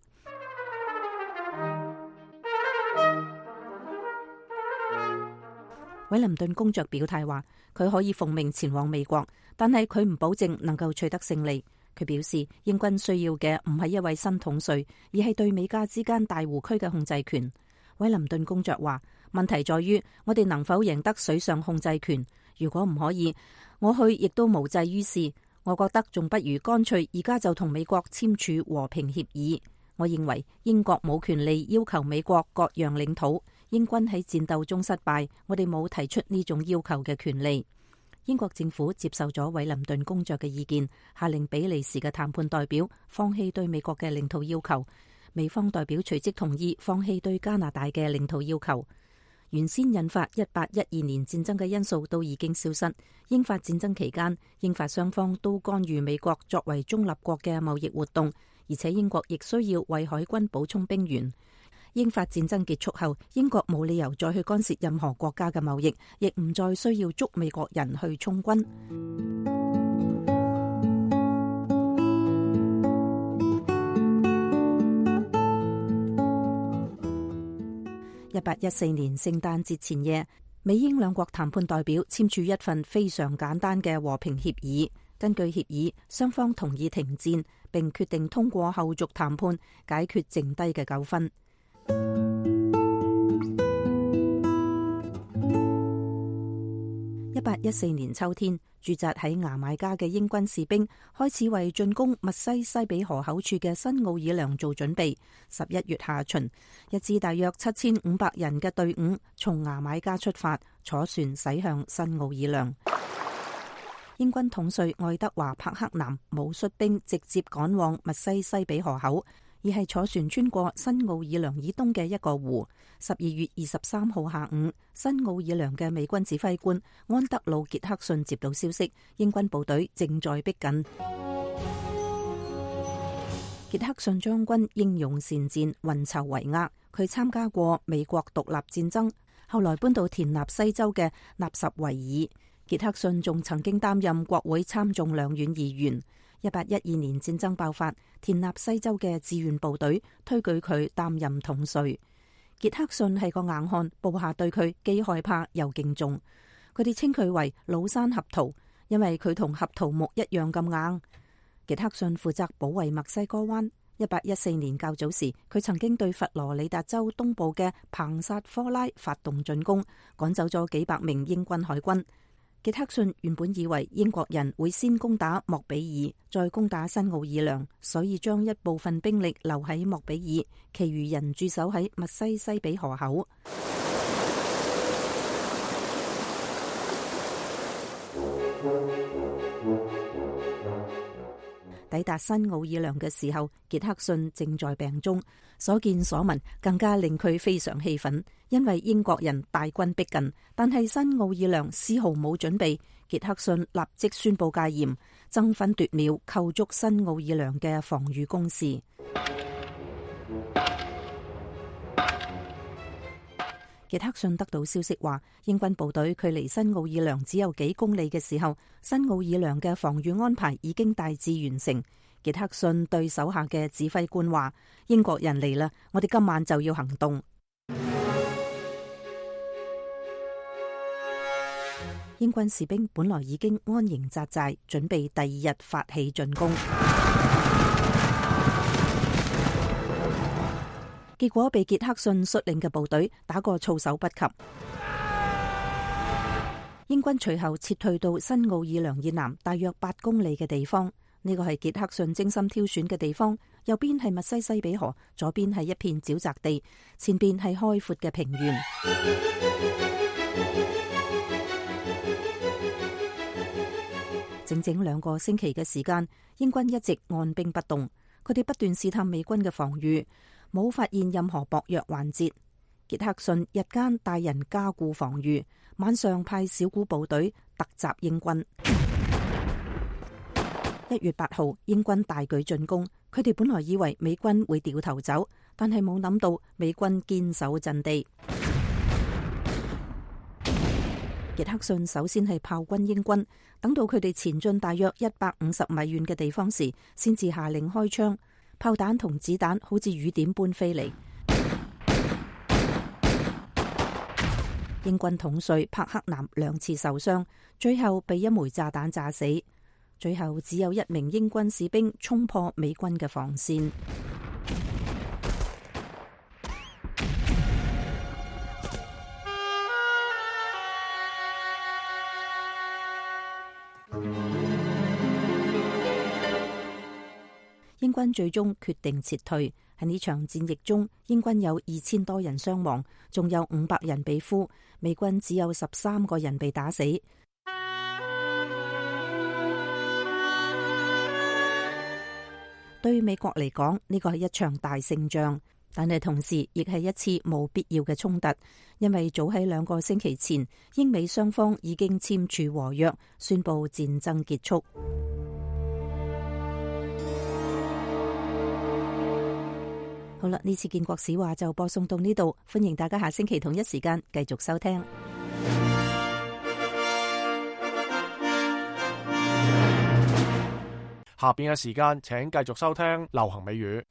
韋林頓公爵表態話，佢可以奉命前往美國，但係佢唔保證能夠取得勝利。佢表示，英軍需要嘅唔係一位新統帥，而係對美加之間大湖區嘅控制權。韋林頓公爵話，問題在於我哋能否贏得水上控制權。如果唔可以，我去亦都無濟於事。我覺得仲不如乾脆而家就同美國簽署和平協議。我認為英國冇權利要求美國割讓領土。英軍喺戰鬥中失敗，我哋冇提出呢種要求嘅權利。英國政府接受咗韋林頓公爵嘅意見，下令比利時嘅談判代表放棄對美國嘅領土要求。美方代表隨即同意放棄對加拿大嘅領土要求。原先引發一八一二年戰爭嘅因素都已經消失。英法戰爭期間，英法雙方都干預美國作為中立國嘅貿易活動，而且英國亦需要為海軍補充兵員。英法戰爭結束後，英國冇理由再去干涉任何國家嘅貿易，亦唔再需要捉美國人去充軍。一八一四年聖誕節前夜，美英兩國談判代表簽署一份非常簡單嘅和平協議。根據協議，雙方同意停戰，並決定通過後續談判解決剩低嘅糾紛。一八一四年秋天，駐紮喺牙買加嘅英軍士兵開始為進攻密西西比河口處嘅新奧爾良做準備。十一月下旬，一支大約七千五百人嘅隊伍從牙買加出發，坐船駛向新奧爾良。英軍統帥愛德華·柏克南冇率兵直接趕往密西西比河口，而係坐船穿過新奧爾良以東嘅一個湖。十二月二十三號下午，新奧爾良嘅美軍指揮官安德魯·傑克遜接到消息，英軍部隊正在逼近。傑克遜將軍英勇善戰，運籌帷幄。佢參加過美國獨立戰爭，後來搬到田納西州嘅納什維爾。傑克遜仲曾經擔任國會參眾兩院議員。一八一二年戰爭爆發，田納西州嘅志願部隊推舉佢擔任統帥。傑克遜係個硬漢，部下對佢既害怕又敬重。佢哋稱佢為老山合桃，因為佢同合桃木一樣咁硬。傑克遜負責保衛墨西哥灣。一八一四年較早時，佢曾經對佛羅里達州東部嘅彭薩科拉發動進攻，趕走咗幾百名英軍海軍。傑克遜原本以為英國人會先攻打莫比爾，再攻打新奧爾良，所以將一部分兵力留喺莫比爾，其餘人駐守喺密西西比河口。抵達新奧爾良嘅時候，傑克遜正在病中，所見所聞更加令佢非常氣憤，因為英國人大軍逼近，但係新奧爾良絲毫冇準備。傑克遜立即宣布戒嚴，爭分奪秒構築新奧爾良嘅防禦工事。傑克遜得到消息話，英軍部隊距離新奧爾良只有幾公里嘅時候，新奧爾良嘅防禦安排已經大致完成。傑克遜對手下嘅指揮官話：英國人嚟啦，我哋今晚就要行動。英軍士兵本來已經安營紮寨，準備第二日發起進攻。結果被傑克遜率領嘅部隊打個措手不及。英軍隨後撤退到新奧爾良以南大約八公里嘅地方，呢個係傑克遜精心挑選嘅地方。右邊係密西西比河，左邊係一片沼澤地，前邊係開闊嘅平原。整整兩個星期嘅時間，英軍一直按兵不動，佢哋不斷試探美軍嘅防禦，冇發現任何薄弱環節。傑克遜日間帶人加固防禦，晚上派小股部隊突襲英軍。一月八號，英軍大舉進攻，佢哋本來以為美軍會掉頭走，但係冇諗到美軍堅守陣地。傑克遜首先係炮轟英軍，等到佢哋前進大約一百五十米遠嘅地方時，先至下令開槍。炮彈同子彈好似雨點般飛嚟。英軍統帥柏克南兩次受傷，最後被一枚炸彈炸死。最後只有一名英軍士兵衝破美軍嘅防線。英軍最終決定撤退。喺呢場戰役中，英軍有二千多人傷亡，仲有五百人被俘，美軍只有十三個人被打死。對美國嚟講，呢個係一場大勝仗，但係同時亦係一次冇必要嘅衝突，因為早喺兩個星期前，英美雙方已經簽署和約，宣布戰爭結束。好啦，呢次建國史話就播送到呢度，歡迎大家下星期同一時間繼續收聽。下邊嘅時間，請繼續收聽流行美語。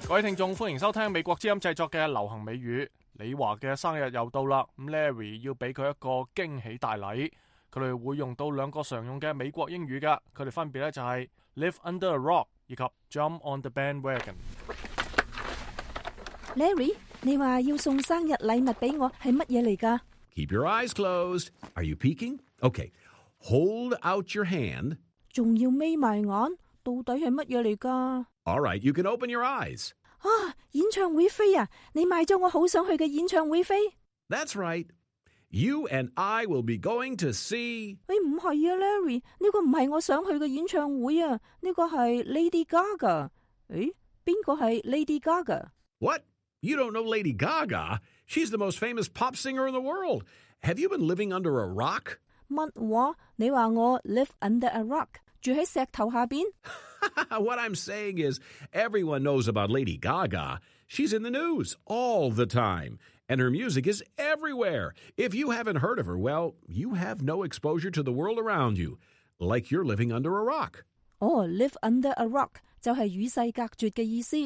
各位聽眾，歡迎收聽美國之音製作嘅流行美語。李華嘅生日又到啦，咁 Larry 要俾佢一個驚喜大禮。佢哋會用到兩個常用嘅美國英語噶，佢哋分別咧就係 live under a rock 以及 jump on the bandwagon。Larry， 你話要送生日禮物俾我係乜嘢嚟噶？ Keep your eyes closed. Are you peeking? Okay. Hold out your hand. 仲要眯埋眼，到底係乜嘢嚟噶？ All right, you can open your eyes. 啊，演唱會飛啊！你買咗我好想去嘅演唱會飛。That's right. You and I will be going to see... 誒，唔係啊 ，Larry， 呢個唔係我想去嘅演唱會啊，呢個係 Lady Gaga。誒，邊個係 Lady Gaga？ What? You don't know Lady Gaga? She's the most famous pop singer in the world. Have you been living under a rock? 乜話？你話我 live under a rock， 住喺石頭下邊？ What I'm saying is, everyone knows about Lady Gaga. She's in the news all the time, and her music is everywhere. If you haven't heard of her, well, you have no exposure to the world around you, like you're living under a rock. 哦 live under a rock 就係與世隔絕嘅意思。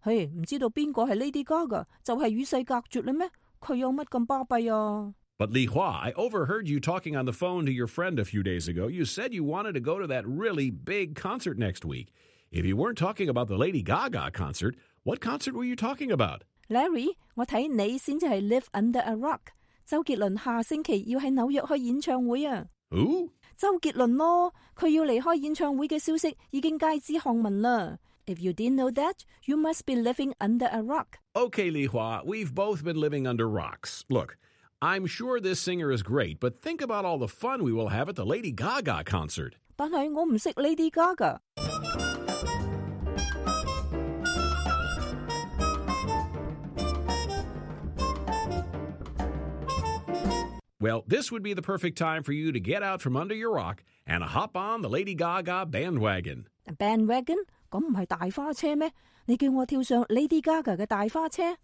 嘿，唔知道邊個係 Lady Gaga， 就係與世隔絕啦咩？佢有乜咁巴閉啊？ But Li Hua, I overheard you talking on the phone to your friend a few days ago. You said you wanted to go to that really big concert next week. If you weren't talking about the Lady Gaga concert, what concert were you talking about? Larry， 我睇你先至係 live under a rock。周杰倫下星期要喺紐約開演唱會啊。Who？ 周杰倫咯，佢要離開演唱會嘅消息已經街知巷聞啦。If you didn't know that, you must be living under a rock. Okay, Li Hua, we've both been living under rocks. Look, I'm sure this singer is great, but think about all the fun we will have at the Lady Gaga concert. 但係我唔識 Lady Gaga。 Well, this would be the perfect time for you to get out from under your rock and hop on the Lady Gaga bandwagon. Bandwagon？ 咁唔係大花車咩？你叫我跳上 Lady Gaga 嘅大花車？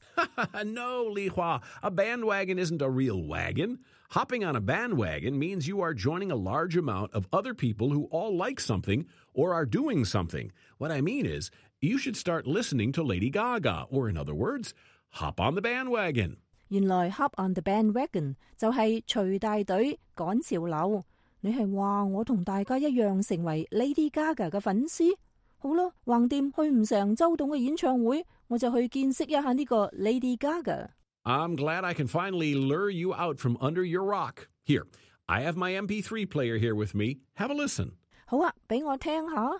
No, Li Hua, a bandwagon isn't a real wagon. Hopping on a bandwagon means you are joining a large amount of other people who all like something or are doing something. What I mean is, you should start listening to Lady Gaga, or in other words, hop on the bandwagon. 原來 hop on the bandwagon 就係隨大隊趕潮流。你係話我同大家一樣成為 Lady Gaga 嘅粉絲？好啦，橫掂去唔成周董嘅演唱會，我就去見識一下呢個 Lady Gaga。 I'm glad I can finally lure you out from under your rock. Here, I have my M P three player here with me. Have a listen. 好啊，俾我聽下。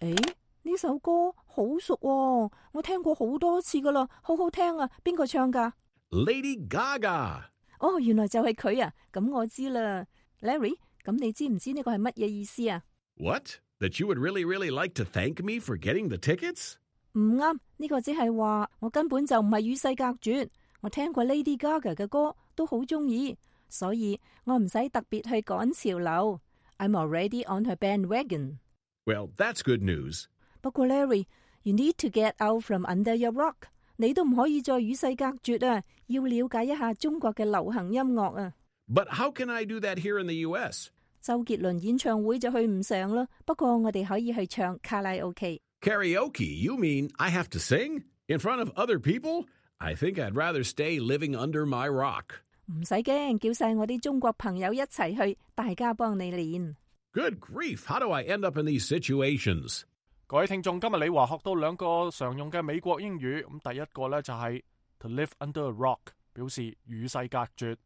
誒，呢首歌好熟喎，我聽過好多次噶啦，好好聽啊！邊個唱噶？ Lady Gaga。 哦，原來就係佢啊！咁我知啦。Larry， 咁你知唔知呢個係乜嘢意思啊？ What? That you would really, really like to thank me for getting the tickets? 唔啱，呢個只係話我根本就唔係與世隔絕。我聽過 Lady Gaga 嘅歌，都好中意，所以我唔使特別去趕潮流。I'm already on her bandwagon. Well, that's good news. 不過 Larry, you need to get out from under your rock. 你都唔可以再與世隔絕啊！要了解一下中國嘅流行音樂啊。But how can I do that here in the U S? 周杰倫演唱會就去唔成啦，不過我哋可以去唱卡拉 OK。 Karaoke? You mean I have to sing? In front of other people? I think I'd rather stay living under my rock. 唔使驚，叫晒我啲中國朋友一齊去，大家幫你練。 Good grief, how do I end up in these situations? 各位聽眾，今日李華學到兩個常用嘅美國英語，咁第一個呢就係 to live under a rock， 表示與世隔絕，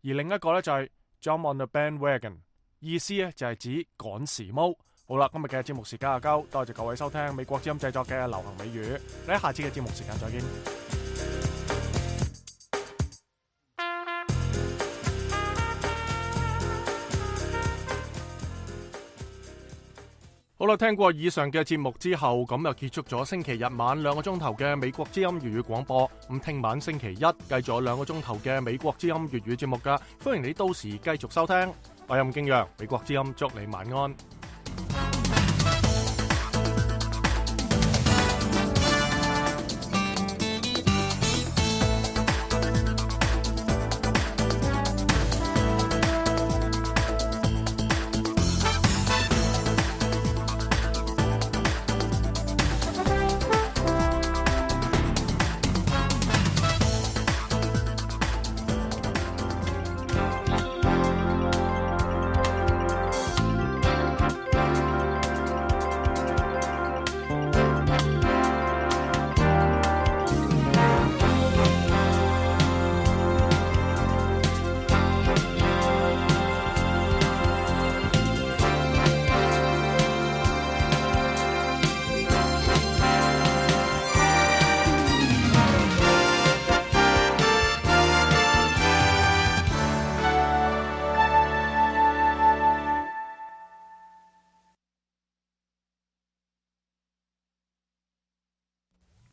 而另一個呢就係 jump on the bandwagon， 意思呢就係指趕時髦。好啦，今日嘅節目時間就夠，多謝各位收聽美國之音製作嘅流行美語，你喺下次嘅節目時間再見。好啦，聽過以上嘅節目之後，咁就結束咗星期日晚兩個鐘頭嘅美國之音粵語廣播。咁聽晚星期一繼續有兩個鐘頭嘅美國之音粵語節目噶，歡迎你到時繼續收聽。我係吳敬陽，美國之音祝你晚安。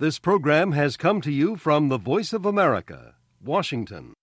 This program has come to you from the Voice of America, Washington.